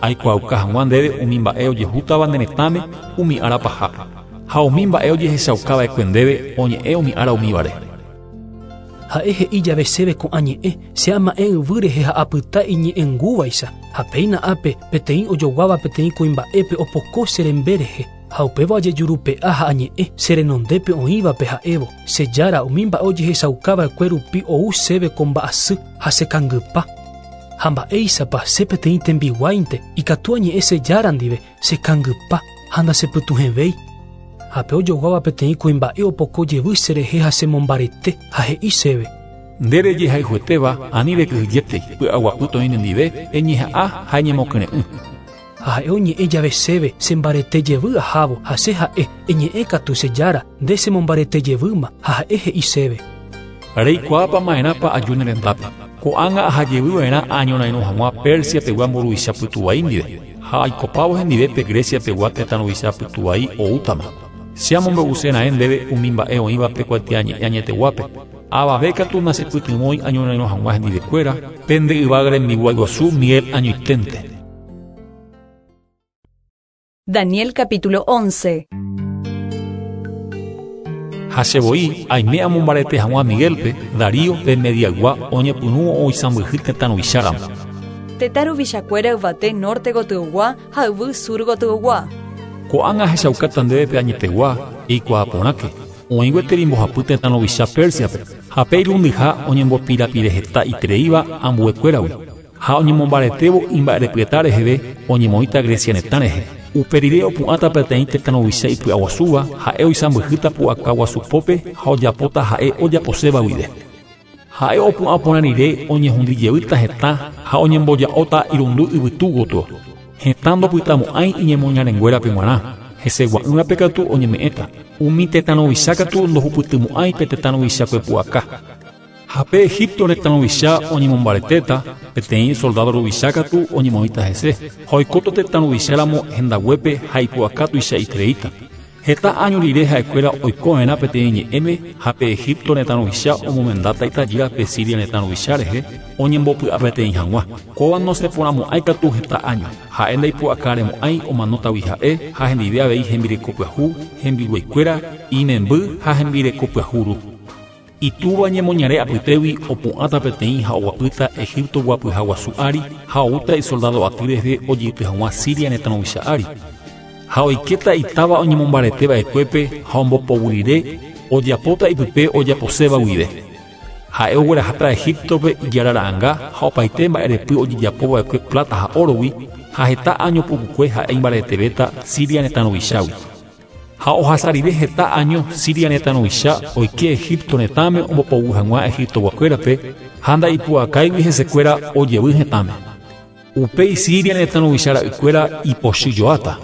Aikuaauka hag̃ua ndéve umi mba'e ojehútava ne retãme umi ára pahápe. Ha umi mba'e ojehechaukava'ekue ndéve oñe'ẽ umi ára umívare. Ha'e he'i jave chéve ko'ã ñe'ẽ che ama'ẽ yvy rehe ha apyta iñe'ẽngúvaicha ha péina ápe peteĩ ojoguáva peteĩ kuimba'épe opoko che rembe rehe ha upéva ojejurupe'a ha añe'ẽ che renondépe oĩvape ha'évo che Jára umi mba'e ojehechaukava'ekue rupi ou chéve ko mba'asy ha chekangypa. Ha mba'éichapa che peteĩ tembiguáinte ikatu añe'ẽ che Jára ndive chekangypa ha ndachepytuhẽvéi. Ha pe ojoguáva peteĩ kuimba'e opoko jevy cherehe ha chemombarete ha he'i chéve. Nde rejehayhuetéva ani rekyhyjétei py'aguapy toĩ nendive eñeha'ã ha eñemokyre'ỹ. Ha ha'e oñe'ẽ jave chéve chembarete jevy ahávo ha che ha'e eñe'ẽ katu che Jára nde chemombarete jevýma ha ha'e he'i chéve. Reikuaápa ma'erãpa aju ne rendápe. Ko'ág̃a ahajevyva'erã añorairõ hag̃ua Persia pegua mburuvicha pytuvai ndive ha aikopávo hendive pe Grecia pegua tetã ruvicha pytuvai oútama. Che amombe'usera'ẽ ndéve umi mba'e oĩva pe kuatiañe'ẽ añeteguápe. Avave katu nachepytyvõi añorairõ hag̃ua hendivekuéra pende yvága rembiguái guasu Miguel añoiténte. Daniel capítulo once. Ha chevoi aime amombarete hag̃ua Miguelpe Darío de Mediaygua oñepyrũ oisãmbyhy tetã ruvicháramo. Tetã ruvichakuéra yvate norte gotyogua ha yvy sur gotyogua. Ko'ág̃a ahechaukáta ndéve pe añetegua eikuaa porãke. Oĩ gueteri mbohapy tetã ruvicha Pérsiape ha pe irundyha oñembopirapireheta itereíva ambuekuéragui ha oñemombaretévo imba'erepyeta reheve oñemoĩta Grecia retã rehe. Upe rire opu'ãta peteĩ tetã ruvicha ipy'aguasúva ha'e oisãmbyhýta pu'aka guasupópe ha ojapóta ha'e ojaposéva guive. Ha'e opu'ã porã rire oñehundijevýta hetã ha oñemboja'óta irundy yvytu gotyo. Hetã ndopytamo'ãi iñemoñarenguérape g̃uarã. Hesegua'ỹvape katu oñeme'ẽta. Umi tetã ruvicha katu ndohupytymo'ãi pe tetã ruvichakue pu'aka. Ha pe Egipto retã ruvicha oñemombaretéta, peteĩ soldado ruvicha katu oñemoĩta hese. Ha oikóta tetã ruvicháramo hendaguépe ha ipu'aka tuichaitereíta. Heta año rire ha'ekuéra oikova'erã peteĩ ñe'ẽme ha pe Egipto retã ruvicha omomendáta itajýra pe Siria retã ruvicha rehe oñembopy'apeteĩ hag̃ua. Kóva noseporãmo'ãi katu heta año. Ha'e ndaipu'akaremo'ãi omanótagui ha'e ha hendive avei hembireko pyahu, hembiguaikuéra, imemby ha hembireko pyahu ru. Itúva ñemoñare apytégui opu'ãta peteĩ ha oguapýta Egipto guapyha guasu ári ha oúta isoldado aty rehe ojeity hag̃ua Siria retã ruvicha ári. Ha oikéta itáva oñemombareteva'ekuépe ha ombopoguyrire ojapóta ipype ojaposéva guive. Ha'e ogueraháta Egiptope ijarara'ãnga ha opaite mba'erepy ojejapova'ekue plata ha órogui ha heta año pukukue ha'e imbaretevéta Siria retã ruvichágui. Ha ohasa rire heta año Siria retã ruvicha oike Egipto retãme ombopoguy hag̃ua Egiptoguakuérape ha ndaipu'akáigui hesekuéra ojevy hetãme. Upéi Siria retã ruvicha ra'ykuéra ipochyjoáta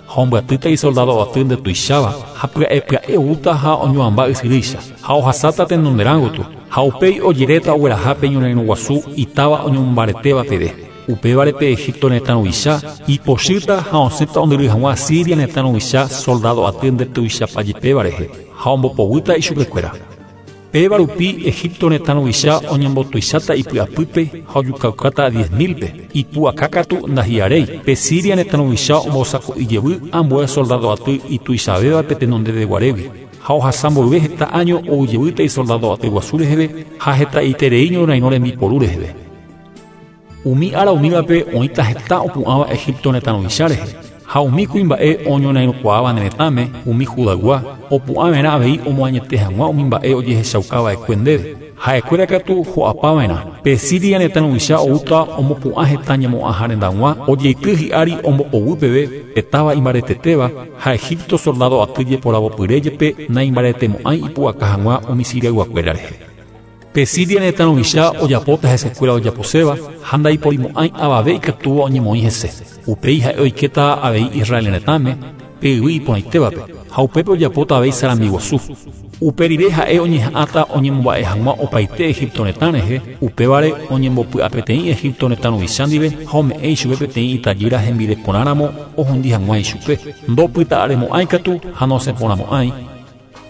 ha ombyatýta isoldado aty ndetuicháva ha pya'epya'e oúta ha oñuamba ysyrýicha ha ohasáta tenonderãgotyo ha upéi ojeréta ogueraha pe ñorairõ guasu itáva oñomombaretéva peve. Upévare pe Egipto retã ruvicha ipochýta ha osẽta ondyry hag̃ua Siria retã ruvicha soldado aty ndetuichapajepéva rehe ha ombopoguýta ichupekuéra. Péva rupi Egipto retã ruvicha oñembotuicháta ipy'apýpe ha ojukaukáta diez mil-pe. Ipu'aka katu ndahi'aréi. Pe Siria retã ruvicha ombosako'ijevy ambue soldado aty ituichavévape tenondeveguarégui ha ohasa mboyve heta año oujevýta isoldado aty guasu reheve ha hetaiterei ñorairõ rembiporu reheve. Umi ára umívape oĩta heta opu'ãva Egipto retã ruvicha rehe. Ha umi kuimba'e oñorairõkuaáva ne retãme, umi Judaygua, opu'ãva'erã avei omoañete hag̃ua umi mba'e ojehechaukava'ekue ndéve. Ha'ekuéra katu ho'apava'erã. Pe Siria retã ruvicha oúta omopu'ã heta ñemo'ãha rendag̃ua ojeity hi'ári ombopoguy peve pe táva imbaretetéva ha Egipto soldado aty jeporavopyre jepe naimbaretemo'ãi ipu'aka hag̃ua umi Siriayguakuéra rehe. Pe Siria retã ruvicha ojapóta hesekuéra ojaposéva ha ndaiporimo'ãi avave ikatúva oñemoĩ hese. Upéi ha'e oikéta avei Israel retãme pe yvy iporãitévape ha upépe ojapóta avei sarambi guasu. Upe rire ha'e oñeha'ãta oñemomba'e hag̃ua opaite Egipto retã rehe, upévare oñembopy'apeteĩ Egipto retã ruvicha ndive ha ome'ẽ ichupe peteĩ itajýra hembirekorãramo ohundi hag̃ua ichupe. Ndopyta'aremo'ãi katu ha nosẽporãmo'ãi.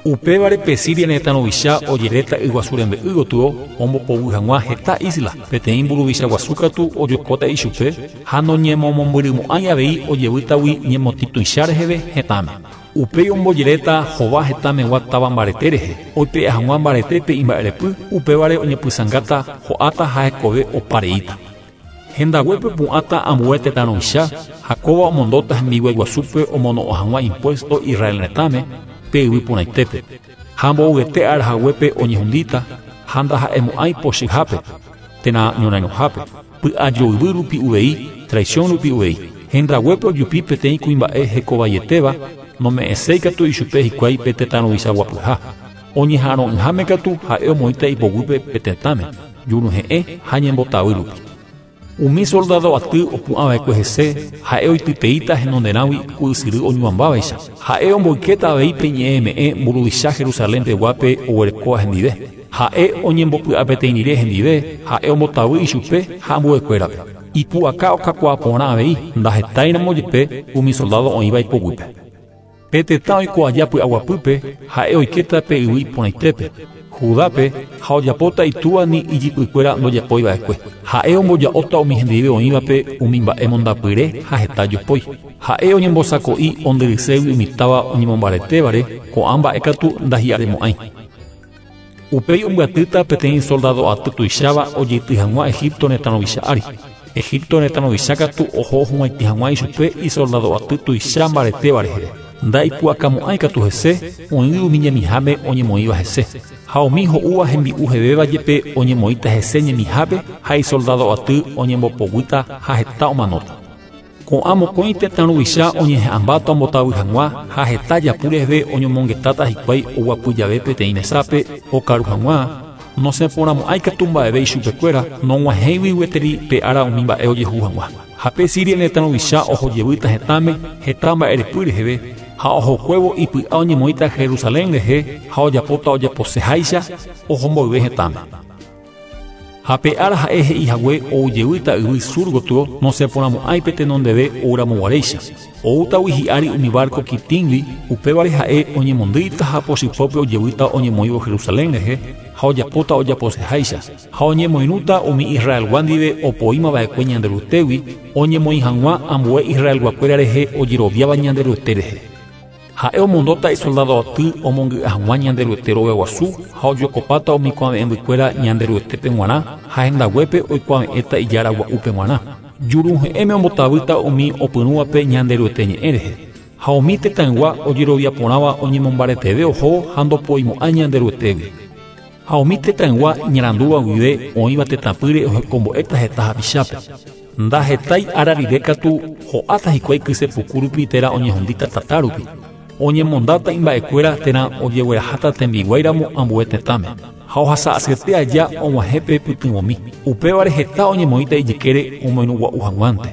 Upévare pe Siria retã ruvicha ojeréta yguasu rembe'y gotyo ombopoguy hag̃ua heta isla. Peteĩ mburuvicha guasu katu ojokóta ichupe ha noñemomombyrymo'ãi avei ojevýtagui ñemotĩtuicha reheve hetãme. Upéi ombojeréta hova hetãmegua táva mbarete rehe oipe'a hag̃ua mbaretépe imba'erepy, upévare oñepysãngáta ho'áta ha hekove opareíta. Hendaguépe pu'ãta ambue tetã ruvicha ha kóva omondóta hembiguái guasúpe omono'õ hag̃ua impuesto Israel retãme pe yvy porãitépe. Ha mbovyete ára haguépe oñehundíta ha ndaha'emo'ãi pochyhápe térã ñorairõhápe. Py'ajoyvy rupi uvei, traición rupi uvei. Hendaguépe ojupi peteĩ kuimba'e hekovaietéva nome'ẽséi katu ichupe hikuái pe tetã ruvicha guapyha. Oñeha'arõ'ỹháme katu ha'e omoĩta ipoguýpe pe tetãme, juruhe'ẽ ha ñembotavy rupi. Umi soldado aty opu'ãva'ekue hese ha'e oitypeíta henonderãgui ku ysyry oñuambávaicha. Ha'e omboykéta avei pe ñe'ẽme'ẽ mburuvicha Jerusalén peguápe oguerekóva hendive. Ha'e oñembopy'apeteĩ rire hendive, ha'e ombotavy ichupe ha ambuekuérape. Ipu'aka okakuaa porã avei ndahetáiramo jepe umi soldado oĩva ipoguýpe. Pe tetã oiko aja py'aguapýpe ha'e oikéta pe yvy iporãitépe. Judápe ha ojapóta itúva ni ijypykuéra ndojapoiva'ekue. Ha'e omboja'óta umi hendive oĩvape umi mba'e mondapyre ha heta jopói. Ha'e oñembosako'i ondyrységui umi táva oñemombaretévare ko'ã mba'e katu ndahi'aremo'ãi. Upéi ombyatýta peteĩ soldado aty tuicháva ojeity hag̃ua Egipto retã ruvicha ári. Egipto retã ruvicha katu oho hug̃uaitĩ hag̃ua ichupe isoldado aty tuicha mbaretéva rehe. Ndaipu'akamo'ãi katu hese, oĩgui umi ñemiháme oñemoĩva hese. Ha umi ho'úva hembi'u hevéva jepe oñemoĩta hese ñemihápe ha isoldado aty oñembopoguýta ha heta omanóta. Ko'ã mokõi tetã ruvicha oñeha'ãmbáta ombotavy hag̃ua ha heta japu reheve oñomongetáta hikuái oguapy jave peteĩ mesápe okaru hag̃ua nosẽporãmo'ãi katu mba'eve ichupekuéra nog̃uahẽigui gueteri pe ára umi mba'e ojehu hag̃ua. Ha pe Siria retã ruvicha ohojevýta hetãme heta mba'erepy reheve ha ohokuévo ipy'a oñemoĩta Jerusalén rehe ha ojapóta ojaposeháicha ohomboyve hetãme. Ha pe ára ha'e he'ihague oujevýta yvy sur gotyo nosẽporãmo'ãi pe tenondeve ouramoguaréicha. Oútagui hi'ári umi barco Kitíngui, upévare ha'e oñemondýita ha pochypópe ojevýta oñemoĩvo Jerusalén rehe ha ojapóta ojaposeháicha ha oñemoirũta umi Israelgua ndive opoímava'ekue Ñanderuetégui oñemoĩ hag̃ua ambue Israelguakuéra rehe ojeroviáva Ñanderuete rehe. Ha'e omondóta isoldado aty omongy'a hag̃ua Ñanderuete rogaguasu ha ojokopáta umi kuave'ẽmbykuéra Ñanderuetépe g̃uarã ha hendaguépe oikuave'ẽta ijára gua'úpe g̃uarã. Juruhe'ẽme ombotavýta umi opyrũvape Ñanderuete ñe'ẽ rehe. Ha umi tetãygua ojeroviaporãva oñemombareteve oho ha ndopoimo'ãi Ñanderuetégui. Ha umi tetãygua iñarandúva guive oĩva tetãpýre ohekombo'éta heta hapichápe. Ndahetái ára rire katu ho'áta hikuái kysepuku rupi térã oñehundíta tata rupi. Oñemondáta imba'ekuéra térã ojegueraháta tembiguáiramo ambue tetãme. Ha ohasa'asyete aja og̃uahẽpe pytyvõmi. Upévare heta oñemoĩta ijykére omoirũgua'u hag̃uánte.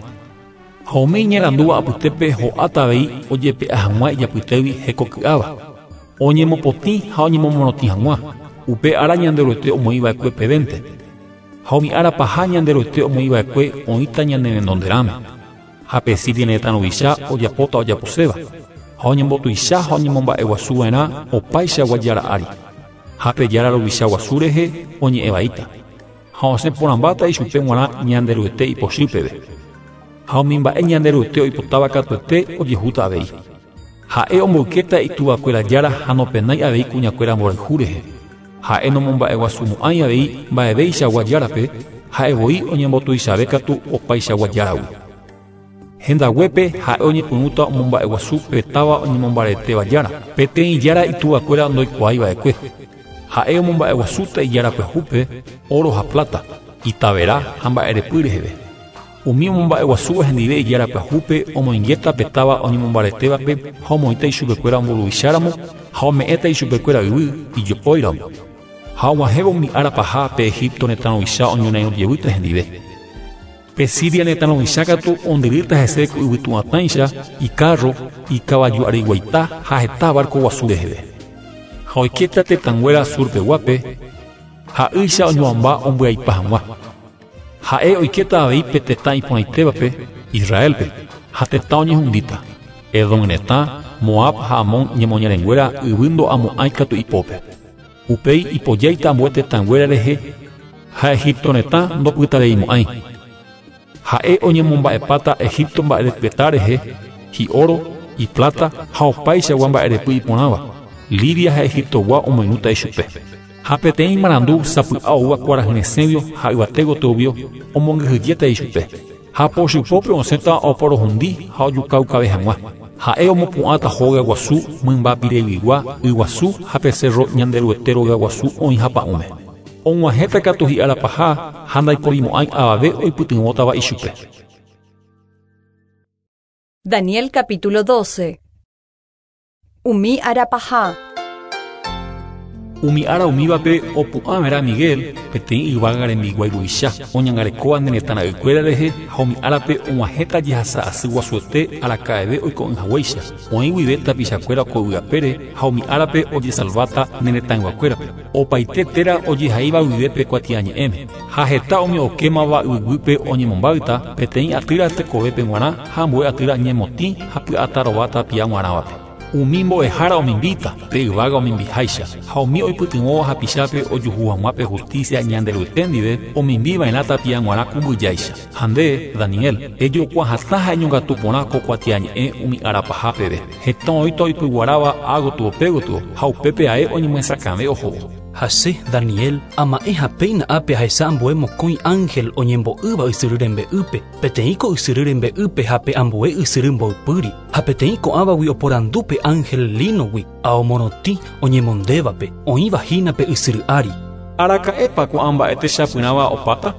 Ha umi iñarandúva apytépe ho'áta avei ojepe'a hag̃ua ijapytégui hekoky'áva. Oñemopotĩ ha oñemomorotĩ hag̃ua. Upe ára Ñanderuete omoĩva'ekue pevénte. Ha umi ára paha Ñanderuete omoĩva'ekue oĩta ñane renonderãme. Ha pe Siria retã ruvicha ojapóta ojaposéva. Ha oñembotuicha ha oñemomba'eguasuva'erã opaichagua jára ári. Ha pe jára ruvicha guasu rehe oñe'ẽvaíta. Ha osẽporãmbáta ichupe g̃uarã Ñanderuete ipochy peve. Ha umi mba'e Ñanderuete oipotáva katuete ojehúta avei. Ha'e omboykéta ituvakuéra jára ha nopenái avei kuñakuéra mborayhu rehe. Ha'e nomomba'eguasumo'ãi avei mba'eveichagua járape, ha'evoi oñembotuichave katu opaichagua járagui. Hendaguépe ha'e oñepyrũta omomba'eguasu pe táva oñemombaretéva jára, peteĩ jára ituvakuéra ndoikuaáiva'ekue. Ha'e omomba'eguasúta ijára pyahúpe oro ha plata, itavera ha mba'erepy reheve. Umi omomba'eguasúva hendive ijára pyahúpe omoingéta pe táva oñemombaretévape ha omoĩta ichupekuéra omboruvicháramo ha ome'ẽta ichupekuéra yvy ijopóiramo. Ha og̃uahẽvo umi ára paha pe Egipto retã ruvicha oñorairõjevýta hendive. Pe Siria retã ruvicha katu ondyrýta hese ku yvytu'atãicha, icarro, ikavaju'ariguaita ha heta barco guasu reheve. Ha oikéta tetãnguéra surpeguápe, ha'ýicha oñoamba ombyaipa hag̃ua. Ha'e oikéta avei pe tetã iporãitévape, Israelpe, ha tetã oñehundíta. Edom retã, Moab ha Amón ñemoñarenguéra yvy ndo'amo'ãi katu ipópe. Upéi ipojáita ambue tetãnguéra rehe ha Egipto retã ndopytareimo'ãi. Ha'e oñemomba'epáta Egipto mba'erepyeta rehe, hi'oro, iplata ha opaichagua mba'erepy iporãva. Libia ha Egiptogua omoirũta ichupe. Ha peteĩ marandu sapy'a oúva kuarahyresẽguio ha yvate gotyovio omongyhyjéta ichupe. Ha pochypópe osẽta oporohundi ha ojukaukave hag̃ua. Ha'e omopu'ãta hóga guasu mymba pireguigua yguasu ha pe cerro Ñanderuete rogaguasu oĩha pa'ũme. Og̃uahẽta katu hi'ára paha ha ndaiporimo'ãi avave oipytyvõtava ichupe. Daniel capítulo doce. Umi ára paha. Umi ára umívape opu'ãvera Miguel, peteĩ yvága rembiguái ruvicha, oñangarekóva ne retã ra'ykuéra rehe ha umi árape og̃uahẽta jehasa asy guasuete araka'eve oiko'ỹhaguéicha. Oĩ guive tapichakuéra ko yvyapére ha umi árape ojesalváta ne retãyguakuérape. Opaite téra ojehaíva guive pe kuatiañe'ẽme. Ha heta umi okémava yvyguýpe oñemombáyta peteĩ atýra tekovépe g̃uarã ha ambue atýra ñemotĩ ha py'atarová tapia g̃uarãvape. Umi mbo'ehára omimbíta pe yvága omimbiháicha ha umi oipytyvõva hapichápe ojuhu hag̃ua pe justicia Ñanderuete ndive omimbiva'erã tapia g̃uarã ku mbyjáicha. Ha nde, Daniel, ejokuahatã ha eñongatu porã ko kuatiañe'ẽ umi ára paha peve. Heta oĩta oipyguaráva ágotyo pégotyo ha upépe ae oñemyesakãve ohóvo. Ha che, Daniel, ama'ẽ ha péina ápe ahecha ambue mokõi ángel oñembo'ýva ysyry rembe'ýpe, peteĩ ko ysyry rembe'ýpe ha pe ambue ysyry mboypýri, ha peteĩ ko'ãvagui oporandu pe ángel línogui ao morotĩ oñemondévape, oĩva hína pe ysyry ári. Araka'épa ko'ã mba'e techapyrãva opáta?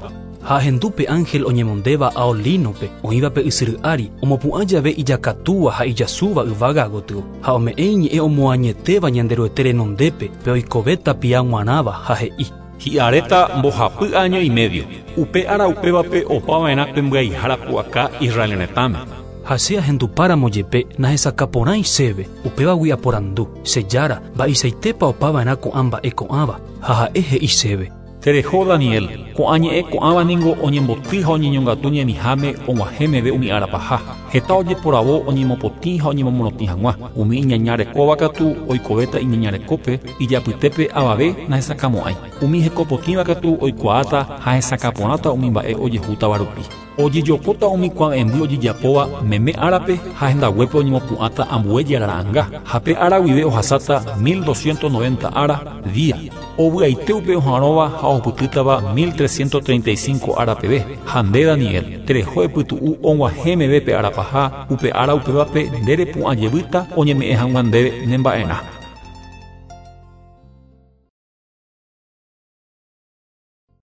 Ha ahendu pe ángel oñemondéva ao línope, oĩva pe ysyry ári, omopu'ã jave ijakatúva ha ijasúva yvága gotyo, ha ome'ẽ iñe'ẽ omoañetéva Ñanderuete renondépe pe oikove tapia g̃uarãva ha he'i. Hi'aréta mbohapy año y medio. Upe ára upévape opava'erã pe mbyaihára pu'aka Israel retãme. Ha che ahendupáramo jepe nahesakãporãi chéve, upévagui aporandu, che jára, mba'eichaitépa opava'erã ko'ã mba'e ko'ãva, ha ha'e he'i chéve. Tereho Daniel, ko'ã ñe'ẽ ko'ãva ningo oñemboty ha oñeñongatu ñemiháme og̃uahẽ meve umi ára paha. Heta ojeporavo oñemopotĩ ha oñemomorotĩ hag̃ua. Umi iñañarekóva katu oikovéta iñañarekópe, ijapytépe avave nahesakãmo'ãi. Umi hekopotĩva katu oikuaáta ha hesakãporãta umi mba'e ojehútava rupi. Ojejokóta umi kuave'ẽmby ojejapóva meme árape ha hendaguépe oñemopu'ãta ambue jarara'ãnga. Ha pe ára guive ohasáta mil doscientos noventa ára día. Ovy'aite upe oha'arõva ha ohupytýtava mil trescientos treinta y cinco ára peve. Ha nde Daniel, tereho epytu'u og̃uahẽ meve pe ára paha, upe ára upévape nde repu'ãjevýta oñeme'ẽ hag̃ua ndéve nemba'erã.